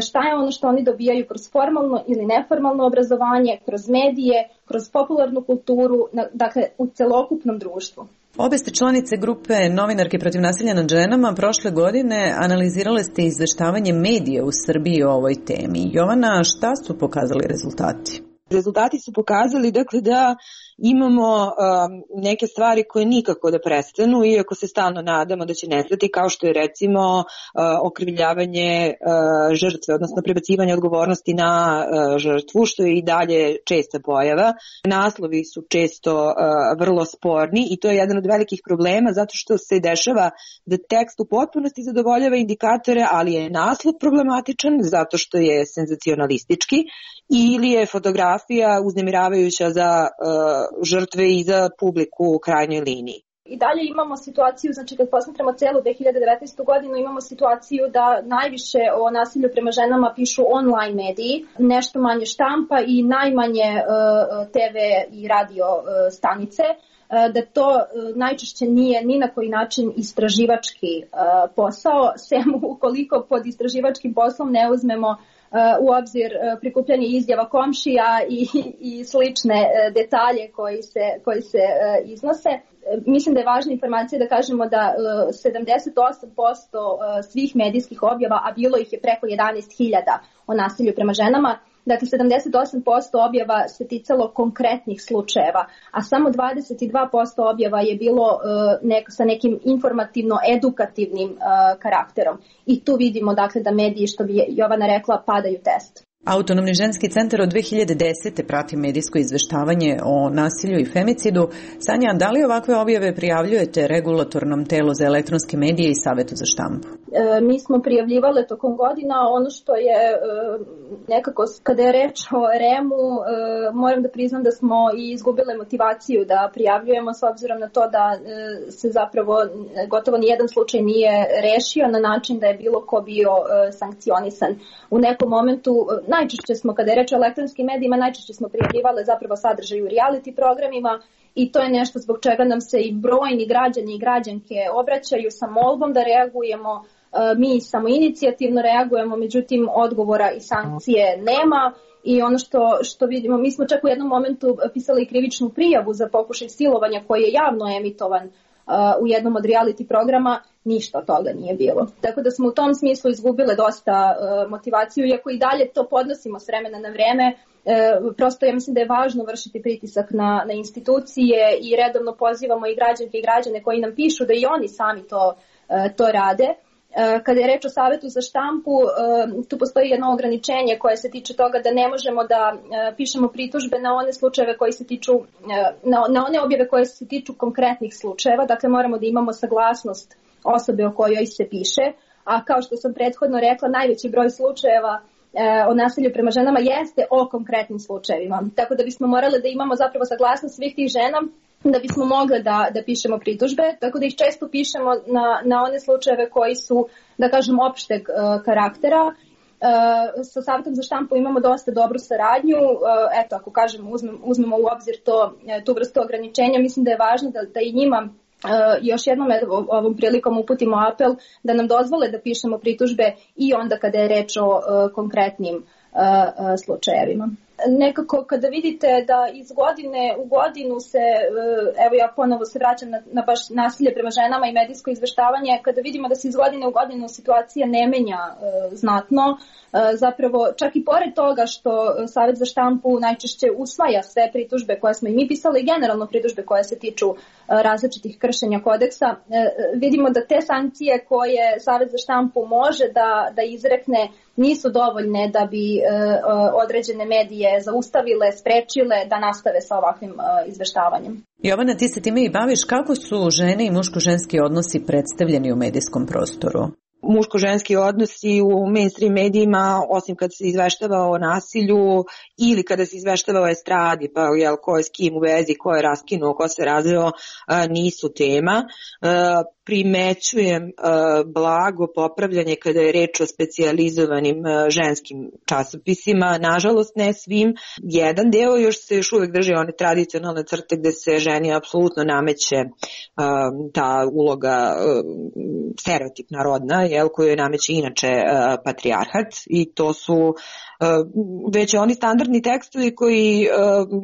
šta je ono što oni dobijaju kroz formalno ili neformalno obrazovanje, kroz medije, kroz popularnu kulturu, dakle u celokupnom društvu. Obe ste članice grupe Novinarke protiv nasilja nad ženama. Prošle godine analizirale ste izveštavanje medija u Srbiji o ovoj temi. Jovana, šta su pokazali rezultati? Rezultati su pokazali dakle da imamo neke stvari koje nikako da prestanu, iako se stalno nadamo da će nestati, kao što je recimo okrivljavanje žrtve, odnosno prebacivanje odgovornosti na žrtvu, što je i dalje česta pojava. Naslovi su često vrlo sporni i to je jedan od velikih problema, zato što se dešava da tekst u potpunosti zadovoljava indikatore, ali je naslov problematičan zato što je senzacionalistički ili je fotografija uznemiravajuća za žrtve i za publiku u krajnjoj liniji. I dalje imamo situaciju, znači kad posmatramo celu 2019. godinu, imamo situaciju da najviše o nasilju prema ženama pišu online mediji, nešto manje štampa i najmanje TV i radio stanice, da to najčešće nije ni na koji način istraživački posao, sem ukoliko pod istraživačkim poslom ne uzmemo u obzir prikupljanje izjava komšija i slične detalje koji se iznose. Mislim da je važna informacija da kažemo da 78% svih medijskih objava, a bilo ih je preko 11.000 o nasilju prema ženama, dakle 78% objava se ticalo konkretnih slučajeva, a samo 22% objava je bilo sa nekim informativno-edukativnim karakterom. I tu vidimo dakle da mediji, što bi Jovana rekla, padaju test. Autonomni ženski centar od 2010. prati medijsko izveštavanje o nasilju i femicidu. Sanja, da li ovakve objave prijavljujete regulatornom telu za elektronske medije i Savetu za štampu? mi smo prijavljivale tokom godina. Ono što je nekako, kada je reč o REM-u, moram da priznam da smo i izgubile motivaciju da prijavljujemo, s obzirom na to da se zapravo gotovo nijedan slučaj nije rešio na način da je bilo ko bio sankcionisan. U nekom momentu, najčešće smo, kada je reč o elektronskim medijima, najčešće smo prijavljivale zapravo sadržaj u reality programima, i to je nešto zbog čega nam se i brojni građani i građanke obraćaju sa molbom da reagujemo. Mi samoinicijativno reagujemo, međutim odgovora i sankcije nema. I ono što vidimo, mi smo čak u jednom momentu pisali krivičnu prijavu za pokušaj silovanja koji je javno emitovan u jednom od reality programa, ništa od toga nije bilo. Tako da smo u tom smislu izgubile dosta motivaciju, iako i dalje to podnosimo s vremena na vreme. Prosto ja mislim da je važno vršiti pritisak na institucije i redovno pozivamo i građanke i građane koji nam pišu da i oni sami to rade. Kada je reč o Savetu za štampu, tu postoji jedno ograničenje koje se tiče toga da ne možemo da pišemo pritužbe na one slučajeve koji se tiču, na one objave koje se tiču konkretnih slučajeva, dakle moramo da imamo saglasnost osobe o kojoj se piše, a kao što sam prethodno rekla, najveći broj slučajeva o nasilju prema ženama jeste o konkretnim slučajevima. Tako da bismo morali da imamo zapravo saglasnost svih tih žena da bismo mogli da pišemo pritužbe, tako da ih često pišemo na one slučajeve koji su, da kažem, opšteg karaktera. Sa Savetom za štampu imamo dosta dobru saradnju. Eto, ako kažem, uzmemo u obzir tu vrstu ograničenja, mislim da je važno da i njima još jednom ovom prilikom uputimo apel da nam dozvole da pišemo pritužbe i onda kada je reč o konkretnim slučajevima. Nekako kada vidite da iz godine u godinu se, evo ja ponovo se vraćam na baš nasilje prema ženama i medijsko izveštavanje, kada vidimo da se iz godine u godinu situacija ne menja znatno, zapravo čak i pored toga što Savet za štampu najčešće usvaja sve pritužbe koje smo i mi pisali i generalno pritužbe koje se tiču različitih kršenja kodeksa, vidimo da te sankcije koje Savet za štampu može da izrekne nisu dovoljne da bi određene medije zaustavile, sprečile da nastave sa ovakvim izveštavanjem. Jovana, ti se time i baviš. Kako su žene i muško-ženski odnosi predstavljeni u medijskom prostoru? Muško-ženski odnosi u mainstream medijima, osim kad se izveštava o nasilju ili kada se izveštava o estradi, pa ko je s kim u vezi, ko je raskinuo, ko se razveo, nisu tema. Primećujem blago popravljanje kada je reč o specijalizovanim ženskim časopisima, nažalost ne svim. Jedan deo još uvek drži one tradicionalne crte gde se ženi apsolutno nameće ta uloga stereotipna rodna, koju je nameće inače patrijarhat, i to su već oni standardni tekstovi koji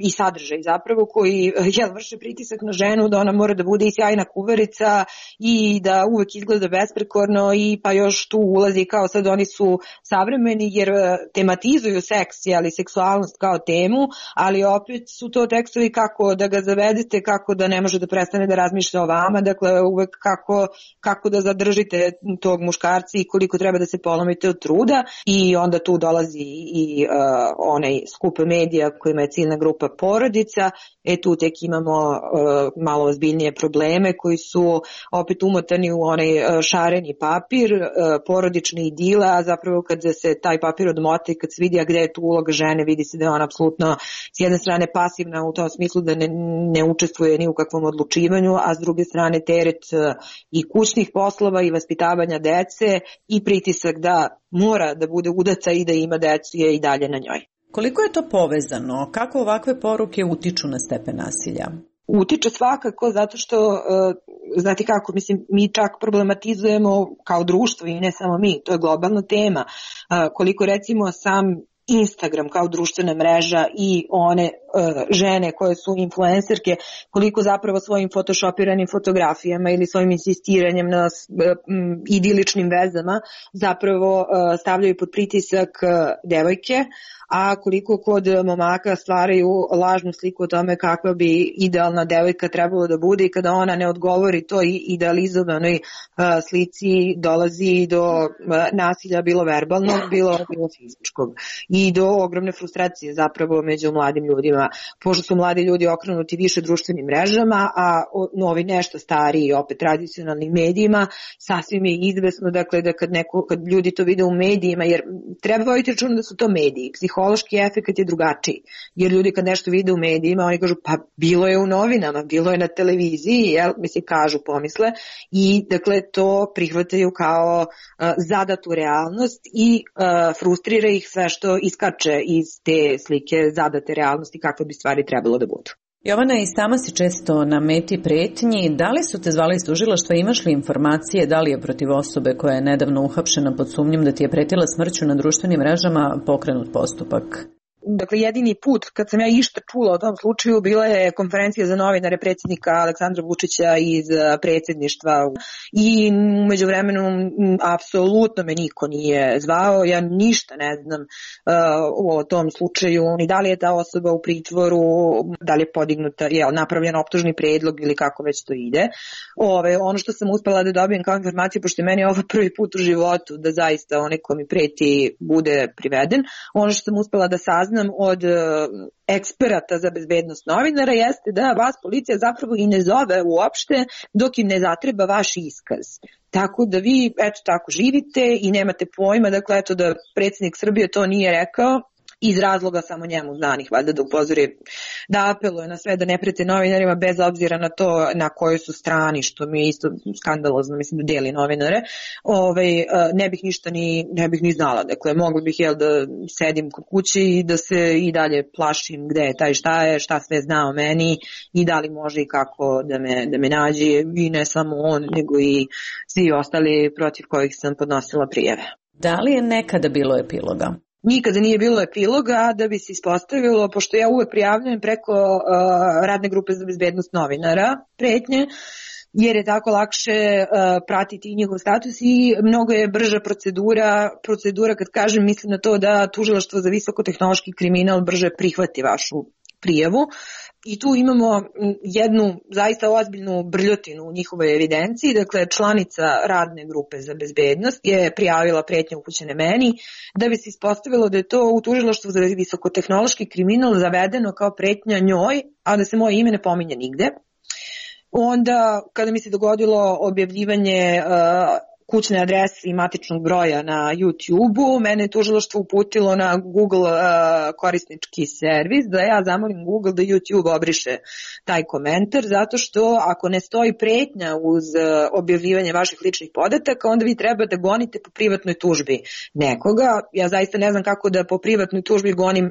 i sadržaj zapravo koji vrše pritisak na ženu da ona mora da bude i sjajna kuvarica i da uvek izgleda besprekorno, i pa još tu ulazi kao sad oni su savremeni jer tematizuju seks, seksualnost kao temu, ali opet su to tekstovi kako da ga zavedete, kako da ne može da prestane da razmišlja o vama, dakle uvek kako da zadržite tog muškarca i koliko treba da se polomite od truda, i onda tu dolazi i onaj skup medija kojima je ciljna grupa porodica. Tu tek imamo malo ozbiljnije probleme koji su opet umotani u onaj šareni papir, porodični idila, a zapravo kad se taj papir odmota i kad se vidi gde je tu uloga žene, vidi se da je ona apsolutno s jedne strane pasivna u tom smislu da ne učestvuje ni u kakvom odlučivanju, a s druge strane teret i kućnih poslova i vaspitavanja dece i pritisak da mora da bude udaca i da ima decu je i dalje na njoj. Koliko je to povezano? Kako ovakve poruke utiču na stepen nasilja? Utiče svakako, zato što, znate kako, mislim, mi čak problematizujemo kao društvo i ne samo mi, to je globalna tema. Koliko recimo sam Instagram kao društvena mreža i one žene koje su influencerke, koliko zapravo svojim photoshopiranim fotografijama ili svojim insistiranjem na idiličnim vezama zapravo stavljaju pod pritisak devojke, a koliko kod momaka stvaraju lažnu sliku o tome kakva bi idealna devojka trebalo da bude, i kada ona ne odgovori toj idealizovanoj slici dolazi do nasilja, bilo verbalnog, bilo fizičkog. i do ogromne frustracije zapravo među mladim ljudima, pošto su mladi ljudi okrenuti više društvenim mrežama, a novi nešto stariji opet tradicionalnim medijima, sasvim je izvesno dakle da kad ljudi to vide u medijima, jer treba voditi računa da su to mediji, psihološki efekt je drugačiji, jer ljudi kad nešto vide u medijima, oni kažu pa bilo je u novinama, bilo je na televiziji, jel, mislim kažu, pomisle, i dakle to prihvataju kao zadatu realnost i frustrira ih sve što iskače iz te slike zadate realnosti kakve bi stvari trebalo da budu. Jovana, i sama si često na meti pretnji. Da li su te zvali iz tužilaštva, imaš li informacije da li je protiv osobe koja je nedavno uhapšena pod sumnjom da ti je pretila smrću na društvenim mrežama pokrenut postupak? Dakle, jedini put kad sam ja išta čula o tom slučaju bila je konferencija za novinare predsjednika Aleksandra Vučića iz predsjedništva i umeđu vremenu apsolutno me niko nije zvao, ja ništa ne znam o tom slučaju, ni da li je ta osoba u pritvoru, da li je podignuta, napravljen optužni predlog ili kako već to ide. Ono što sam uspela da dobijem kao informaciju, pošto je meni ovo prvi put u životu da zaista onaj ko mi preti bude priveden, ono što sam uspela da saznam od eksperata za bezbednost novinara jeste da vas policija zapravo i ne zove uopšte dok im ne zatreba vaš iskaz. Tako da vi eto tako živite i nemate pojma, dakle eto da predsjednik Srbije to nije rekao iz razloga samo njemu znanih, valjda da upozori, da apeluje na sve da ne prete novinarima bez obzira na to na kojoj su strani, što mi je isto skandalozno, mislim da deli novinare, ne bih ni znala, dakle mogla bih da sedim kod kući i da se i dalje plašim gde je taj šta sve zna o meni i da li može i kako da me nađe, i ne samo on, nego i svi ostali protiv kojih sam podnosila prijave. Da li je nekada bilo epiloga? Nikada nije bilo epiloga, da bi se ispostavilo, pošto ja uvek prijavljujem preko radne grupe za bezbednost novinara pretnje, jer je tako lakše pratiti njihov status i mnogo je brža procedura, kad kažem, mislim na to da tužilaštvo za visokotehnološki kriminal brže prihvati vašu prijavu. I tu imamo jednu zaista ozbiljnu brljotinu u njihovoj evidenciji, dakle članica radne grupe za bezbednost je prijavila pretnje upućene meni, da bi se ispostavilo da je to u tužilaštvu za visokotehnološki kriminal zavedeno kao pretnja njoj, a da se moje ime ne pominje nigde. Onda kada mi se dogodilo objavljivanje kućne adrese i matičnog broja na YouTube-u, mene je tužilaštvo uputilo na Google korisnički servis da ja zamolim Google da YouTube obriše taj komentar, zato što ako ne stoji pretnja uz objavljivanje vaših ličnih podataka, onda vi treba da gonite po privatnoj tužbi nekoga. Ja zaista ne znam kako da po privatnoj tužbi gonim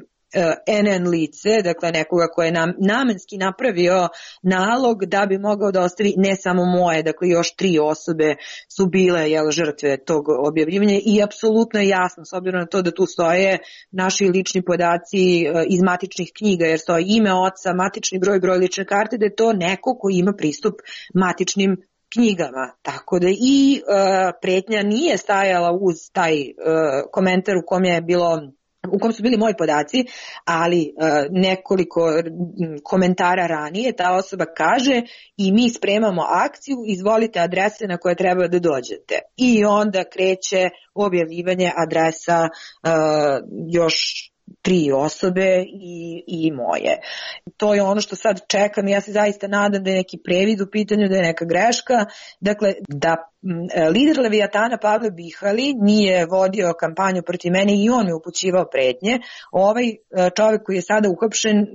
NN lice, dakle nekoga ko je namenski napravio nalog da bi mogao da ostavi ne samo moje, dakle još 3 osobe su bile žrtve tog objavljivanja i apsolutno je jasno, s obzirom na to da tu stoje naši lični podaci iz matičnih knjiga, jer stoji ime oca, matični broj lične karte, da je to neko ko ima pristup matičnim knjigama. Tako da i pretnja nije stajala uz taj komentar u kom su bili moji podaci, ali nekoliko komentara ranije ta osoba kaže i mi spremamo akciju, izvolite adrese na koje treba da dođete. I onda kreće objavljivanje adresa još 3 osobe i moje. To je ono što sad čekam i ja se zaista nadam da je neki previd u pitanju, da je neka greška. Dakle, da lider Leviatana Pavle Bihali nije vodio kampanju protiv mene i on je upućivao pretnje, ovaj čovjek koji je sada uhapšen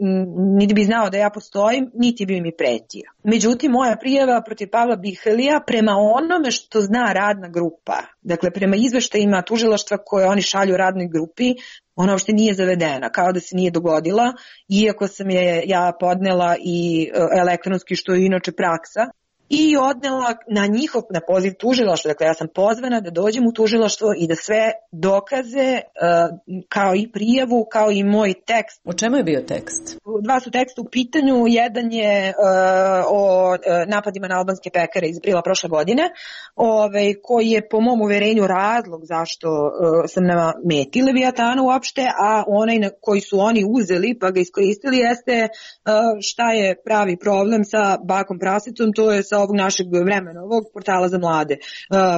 niti bi znao da ja postojim, niti bi mi pretio. Međutim, moja prijava protiv Pavla Bihalija prema onome što zna radna grupa, dakle prema izveštajima tužilaštva koje oni šalju radnoj grupi, ona uopšte nije zavedena, kao da se nije dogodila, iako sam je ja podnela i elektronski, što je inače praksa, i odnela na poziv tužilaštva. Dakle, ja sam pozvana da dođem u tužilaštvo i da sve dokaze, kao i prijavu, kao i moj tekst. O čemu je bio tekst? 2 su teksta u pitanju. Jedan je o napadima na albanske pekare iz aprila prošle godine, koji je po mom uverenju razlog zašto sam na meti Leviatana uopšte, a onaj koji su oni uzeli pa ga iskoristili jeste šta je pravi problem sa bakom prasicom, to je sa ovog našeg vremena, ovog portala za mlade,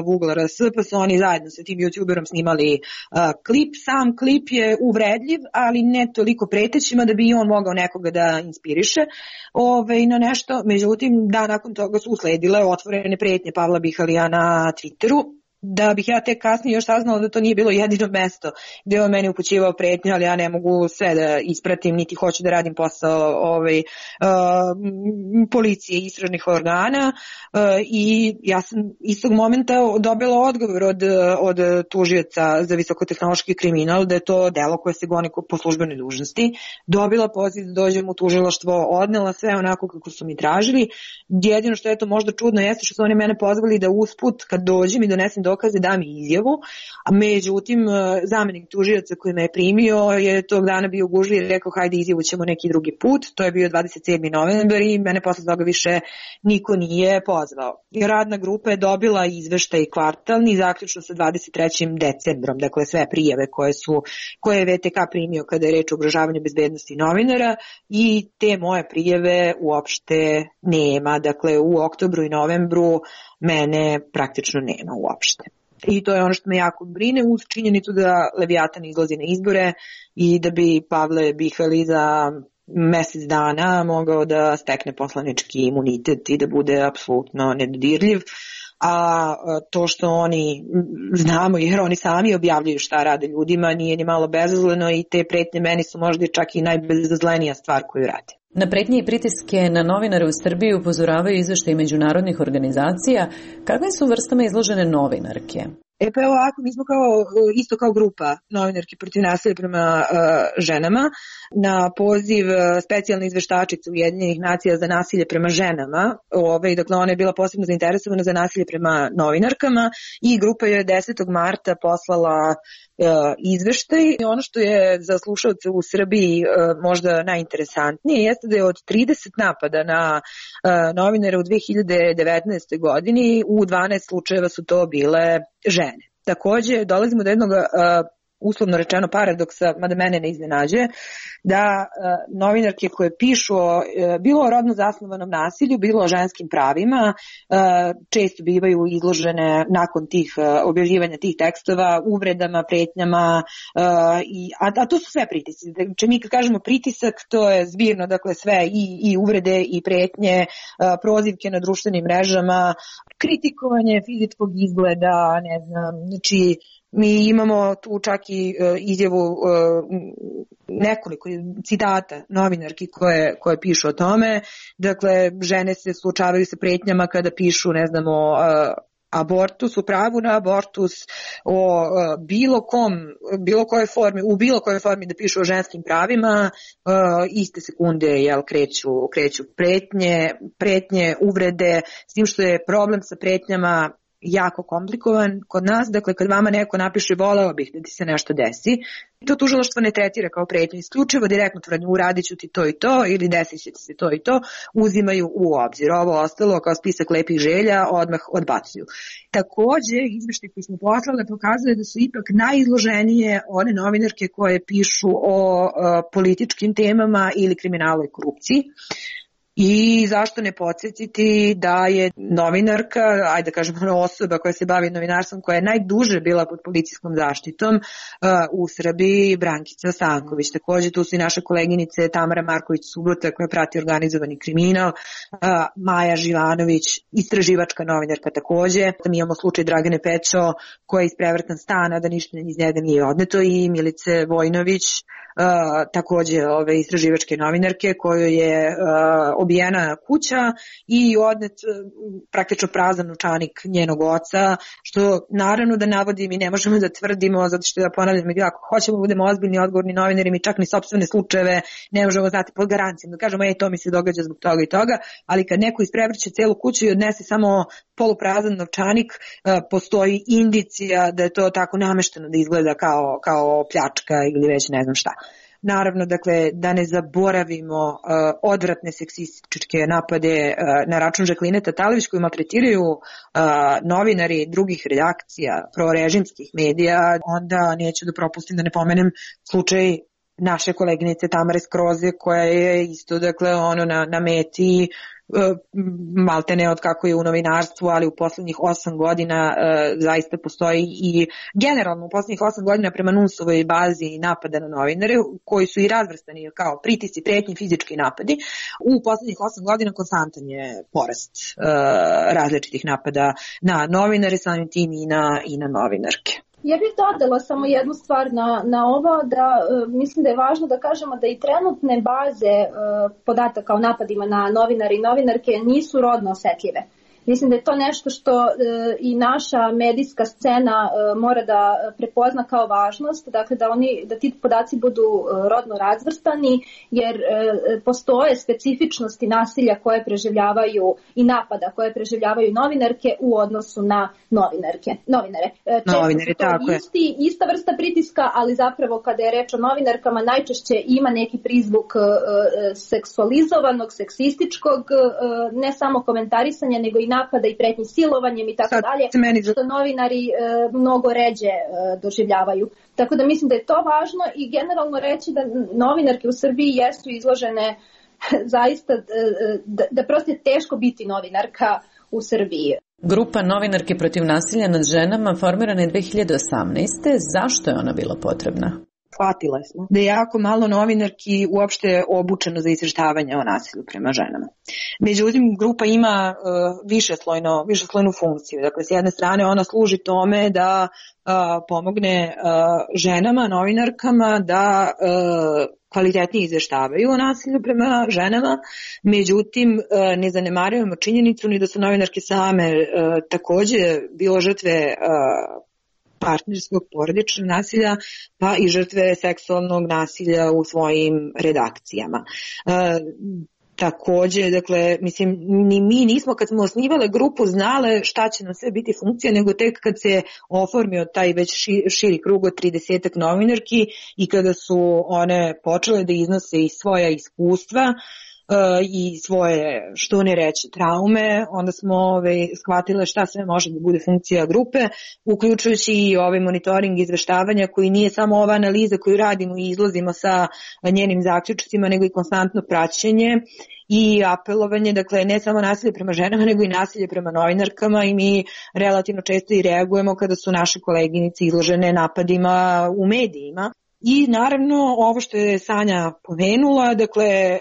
Google RS, pa su oni zajedno sa tim youtuberom snimali klip. Sam klip je uvredljiv, ali ne toliko pretećima da bi i on mogao nekoga da inspiriše na nešto. Međutim, nakon toga su usledile otvorene pretnje Pavla Bihalija na Twitteru, da bih ja tek kasnije još saznala da to nije bilo jedino mesto gde je on meni upućivao pretnje, ali ja ne mogu sve da ispratim, niti hoću da radim posao policije i istražnih organa, i ja sam istog momenta dobila odgovor od tužioca za visokotehnološki kriminal da je to delo koje se goni po službenoj dužnosti. Dobila poziv da dođem u tužilaštvo, odnela sve onako kako su mi tražili. Jedino što je to možda čudno jeste što su oni mene pozvali da usput kad dođem i donesem dokaze dam izjavu, a međutim zamenik tužioca koji me je primio je tog dana bio gužvi i rekao hajde izjavu ćemo neki drugi put. To je bio 27. novembar i mene posle toga više niko nije pozvao. Radna grupa je dobila izveštaj kvartalni zaključno sa 23. decembrom, dakle sve prijave koje je VTK primio kada je reč o ugrožavanju bezbednosti novinara, i te moje prijave uopšte nema. Dakle u oktobru i novembru mene praktično nema uopšte. I to je ono što me jako brine, uz činjenicu da Leviatan izlazi na izbore i da bi Pavle Bihali za mesec dana mogao da stekne poslanički imunitet i da bude apsolutno nedodirljiv. A to što oni znamo, jer oni sami objavljuju šta rade ljudima, nije ni malo bezazleno, i te pretnje meni su možda čak i najbezazlenija stvar koju rade. Na pretnje i pritiske na novinare u Srbiji upozoravaju izveštaji međunarodnih organizacija. Kakvim su vrstama izložene novinarke? Pa evo ovako, mi smo isto kao grupa novinarki protiv nasilja prema ženama na poziv specijalne izveštačice Ujedinjenih nacija za nasilje prema ženama. Dakle, ona je bila posebno zainteresovana za nasilje prema novinarkama i grupa je 10. marta poslala izveštaj. Ono što je za slušalce u Srbiji možda najinteresantnije jeste da je od 30 napada na novinare u 2019. godini u 12 slučajeva su to bile žene. Takođe, dolazimo do jednog uslovno rečeno paradoksa, mada mene ne iznenađuje, da novinarke koje pišu bilo o rodno zasnovanom nasilju, bilo o ženskim pravima, često bivaju izložene nakon tih objavljivanja tih tekstova uvredama, pretnjama, a to su sve pritisci. Znači, mi kad kažemo pritisak, to je zbirno, dakle sve i uvrede i pretnje, prozivke na društvenim mrežama, kritikovanje fizičkog izgleda, ne znam, znači mi imamo tu čak i izjavu nekoliko citata novinarki koje pišu o tome. Dakle, žene se suočavaju sa pretnjama kada pišu, ne znam, o abortus, o pravu na abortus, o bilo kojoj formi da pišu o ženskim pravima, iste sekunde kreću pretnje, uvrede, s tim što je problem sa pretnjama jako komplikovan kod nas. Dakle, kad vama neko napiše voleo bih da ti se nešto desi, to tužilaštvo ne tretira kao pretnju, isključivo direktno tvrdnju uradit ću ti to i to ili desit će ti se to i to, uzimaju u obzir. Ovo ostalo kao spisak lepih želja odmah odbacuju. Takođe, izveštaj koji smo poslali pokazuje da su ipak najizloženije one novinarke koje pišu o političkim temama ili kriminalu i korupciji. I zašto ne podsjetiti da je novinarka, ajde da kažemo osoba koja se bavi novinarstvom, koja je najduže bila pod policijskom zaštitom u Srbiji, Brankica Stanković. Takođe tu su i naše koleginice Tamara Marković-Subota koja prati organizovani kriminal, Maja Živanović, istraživačka novinarka takođe. Mi imamo slučaj Dragane Pećo koja je isprevrtan stan, da ništa iz njega nije odneto, i Milice Vojnović, takođe istraživačke novinarke kojoj je obijena kuća i odnet praktično prazan novčanik njenog oca, što naravno da navodim i ne možemo da tvrdimo, zato što ponavljam, ako hoćemo da budemo ozbiljni, odgovorni novinari, mi čak ni sopstvene slučajeve ne možemo znati pod garancijom, da kažemo to mi se događa zbog toga i toga, ali kad neko isprevrće celu kuću i odnese samo poluprazan novčanik, postoji indicija da je to tako namešteno da izgleda kao pljačka ili već ne znam šta. Naravno, dakle, da ne zaboravimo odvratne seksističke napade na račun Žakline Tatalović koju maltretiraju novinari drugih redakcija prorežimskih medija, onda neću da propustim da ne pomenem slučaj naše koleginice Tamare Skroze, koja je isto, dakle, na meti malte ne od kako je u novinarstvu, ali u poslednjih 8 godina zaista postoji i generalno u poslednjih 8 godina prema NUNS-ovoj bazi napada na novinare, koji su i razvrstani kao pritisci, pretnji, fizički napadi. U poslednjih 8 godina konstantan je porast različitih napada na novinare, samim tim i na novinarke. Ja bih dodala samo jednu stvar na ovo, da mislim da je važno da kažemo da i trenutne baze podataka o napadima na novinare i novinarke nisu rodno osetljive. Mislim da je to nešto što i naša medijska scena mora da prepozna kao važnost, dakle da ti podaci budu rodno razvrstani, jer postoje specifičnosti nasilja koje preživljavaju i napada koje preživljavaju novinarke u odnosu na novinare. Često ista vrsta pritiska, ali zapravo kada je reč o novinarkama najčešće ima neki prizvuk seksualizovanog, seksističkog, ne samo komentarisanja, nego i napada i pretnji silovanjem i tako dalje, što novinari mnogo ređe doživljavaju. Tako da mislim da je to važno i generalno reći da novinarke u Srbiji jesu izložene zaista, da prosto je teško biti novinarka u Srbiji. Grupa Novinarke protiv nasilja nad ženama formirana je 2018. Zašto je ona bila potrebna? Shvatile smo da je jako malo novinarki uopšte obučeno za izveštavanje o nasilju prema ženama. Međutim, grupa ima višeslojnu funkciju. Dakle, s jedne strane ona služi tome da pomogne ženama, novinarkama da kvalitetnije izveštavaju o nasilju prema ženama, međutim ne zanemarujemo činjenicu ni da su novinarke same takođe bilo žrtve partnerskog porodičnog nasilja, pa i žrtve seksualnog nasilja u svojim redakcijama. Takođe, dakle, mislim, ni mi nismo kad smo osnivale grupu znale šta će nam sve biti funkcija, nego tek kad se oformio taj već širi krug od 30 novinarki i kada su one počele da iznose i svoja iskustva i svoje, što ne reći, traume, onda smo shvatile šta sve može da bude funkcija grupe, uključujući i monitoring izveštavanja koji nije samo ova analiza koju radimo i izlazimo sa njenim zaključcima, nego i konstantno praćenje i apelovanje, dakle ne samo nasilje prema ženama, nego i nasilje prema novinarkama i mi relativno često i reagujemo kada su naše koleginice izložene napadima u medijima. I naravno ovo što je Sanja pomenula, dakle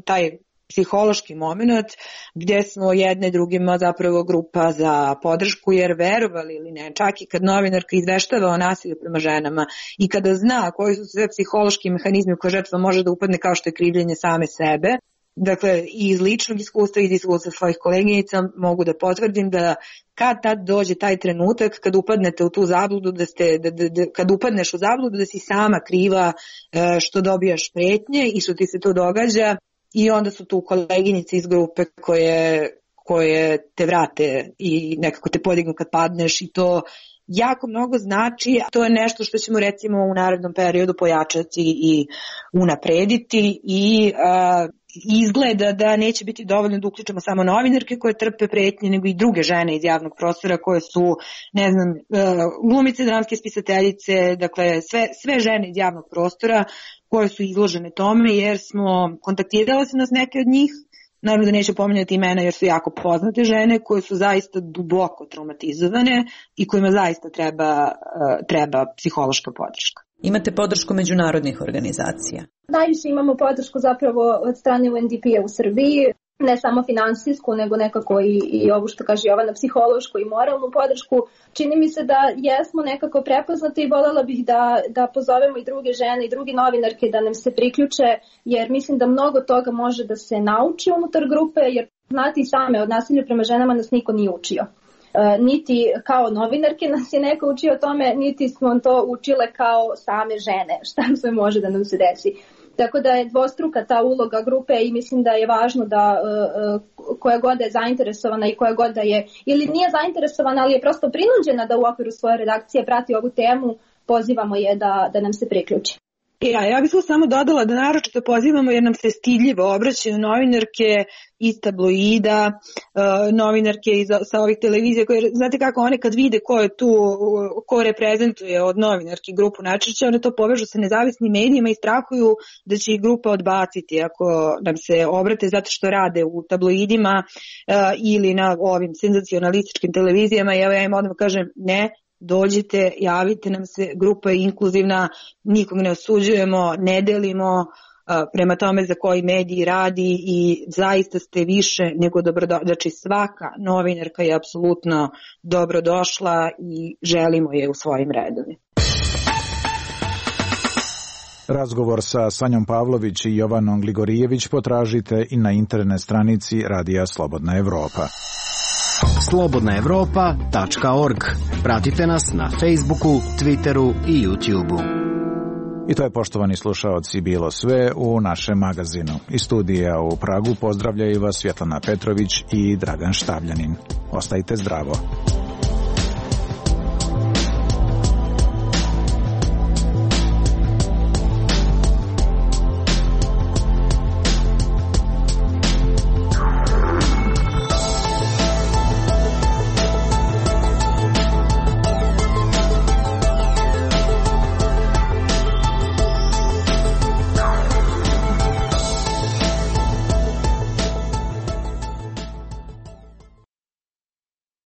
taj psihološki moment gdje smo jedne drugima zapravo grupa za podršku, jer verovali ili ne, čak i kad novinarka izveštava o nasilju prema ženama i kada zna koji su sve psihološki mehanizmi u koje žrtva može da upadne, kao što je krivljenje same sebe, dakle i iz ličnog iskustva i iz iskustva svojih koleginica mogu da potvrdim da kad tad dođe taj trenutak kad upadnete u tu zabludu, kad upadneš u zabludu da si sama kriva što dobijaš pretnje i što ti se to događa, i onda su tu koleginice iz grupe koje te vrate i nekako te podignu kad padneš, i to jako mnogo znači. To je nešto što ćemo recimo u narednom periodu pojačati i unaprediti i izgleda da neće biti dovoljno da uključimo samo novinarke koje trpe pretnje, nego i druge žene iz javnog prostora koje su, ne znam, glumice, dramske spisateljice, dakle sve žene iz javnog prostora koje su izložene tome, jer smo kontaktirali se nas neke od njih, naravno da neću pominjati imena jer su jako poznate žene koje su zaista duboko traumatizovane i kojima zaista treba psihološka podrška. Imate podršku međunarodnih organizacija? Najviše imamo podršku zapravo od strane UNDP-a u Srbiji, ne samo finansijsku, nego nekako i ovo što kaže Jovana, psihološku i moralnu podršku. Čini mi se da jesmo nekako prepoznati i voljela bih da pozovemo i druge žene i drugi novinarke da nam se priključe, jer mislim da mnogo toga može da se nauči unutar grupe, jer znate i same, od nasilja prema ženama nas niko nije učio. Niti kao novinarke nas je neko učio o tome, niti smo to učile kao same žene, šta sve može da nam se desi. Tako da je dvostruka ta uloga grupe i mislim da je važno da koja god je zainteresovana i koja god da je, ili nije zainteresovana, ali je prosto prinuđena da u okviru svoje redakcije prati ovu temu, pozivamo je da nam se priključi. Ja bih samo dodala da naročito pozivamo jer nam se stidljivo obraćaju novinarke iz tabloida, novinarke sa ovih televizija koje, znate kako, one kad vide ko je tu, ko reprezentuje od novinarki grupu Načića, one to povežu sa nezavisnim medijima i strahuju da će ih grupa odbaciti ako nam se obrate zato što rade u tabloidima ili na ovim senzacionalističkim televizijama. I ja im odmah kažem ne, dođite, javite nam se, grupa je inkluzivna, nikog ne osuđujemo, ne delimo prema tome za koji mediji radi i zaista ste više nego dobrodošli. Znači svaka novinarka je apsolutno dobrodošla i želimo je u svojim redovima. Razgovor sa Sanjom Pavlović i Jovanom Gligorijević potražite i na internet stranici Radija Slobodna Evropa. slobodnaevropa.org. Pratite nas na Facebooku, Twitteru i YouTubeu. I to je, poštovani slušaoci, bilo sve u našem magazinu. Iz studija u Pragu pozdravljaju vas Svjetlana Petrović i Dragan Štavljanin. Ostajte zdravo.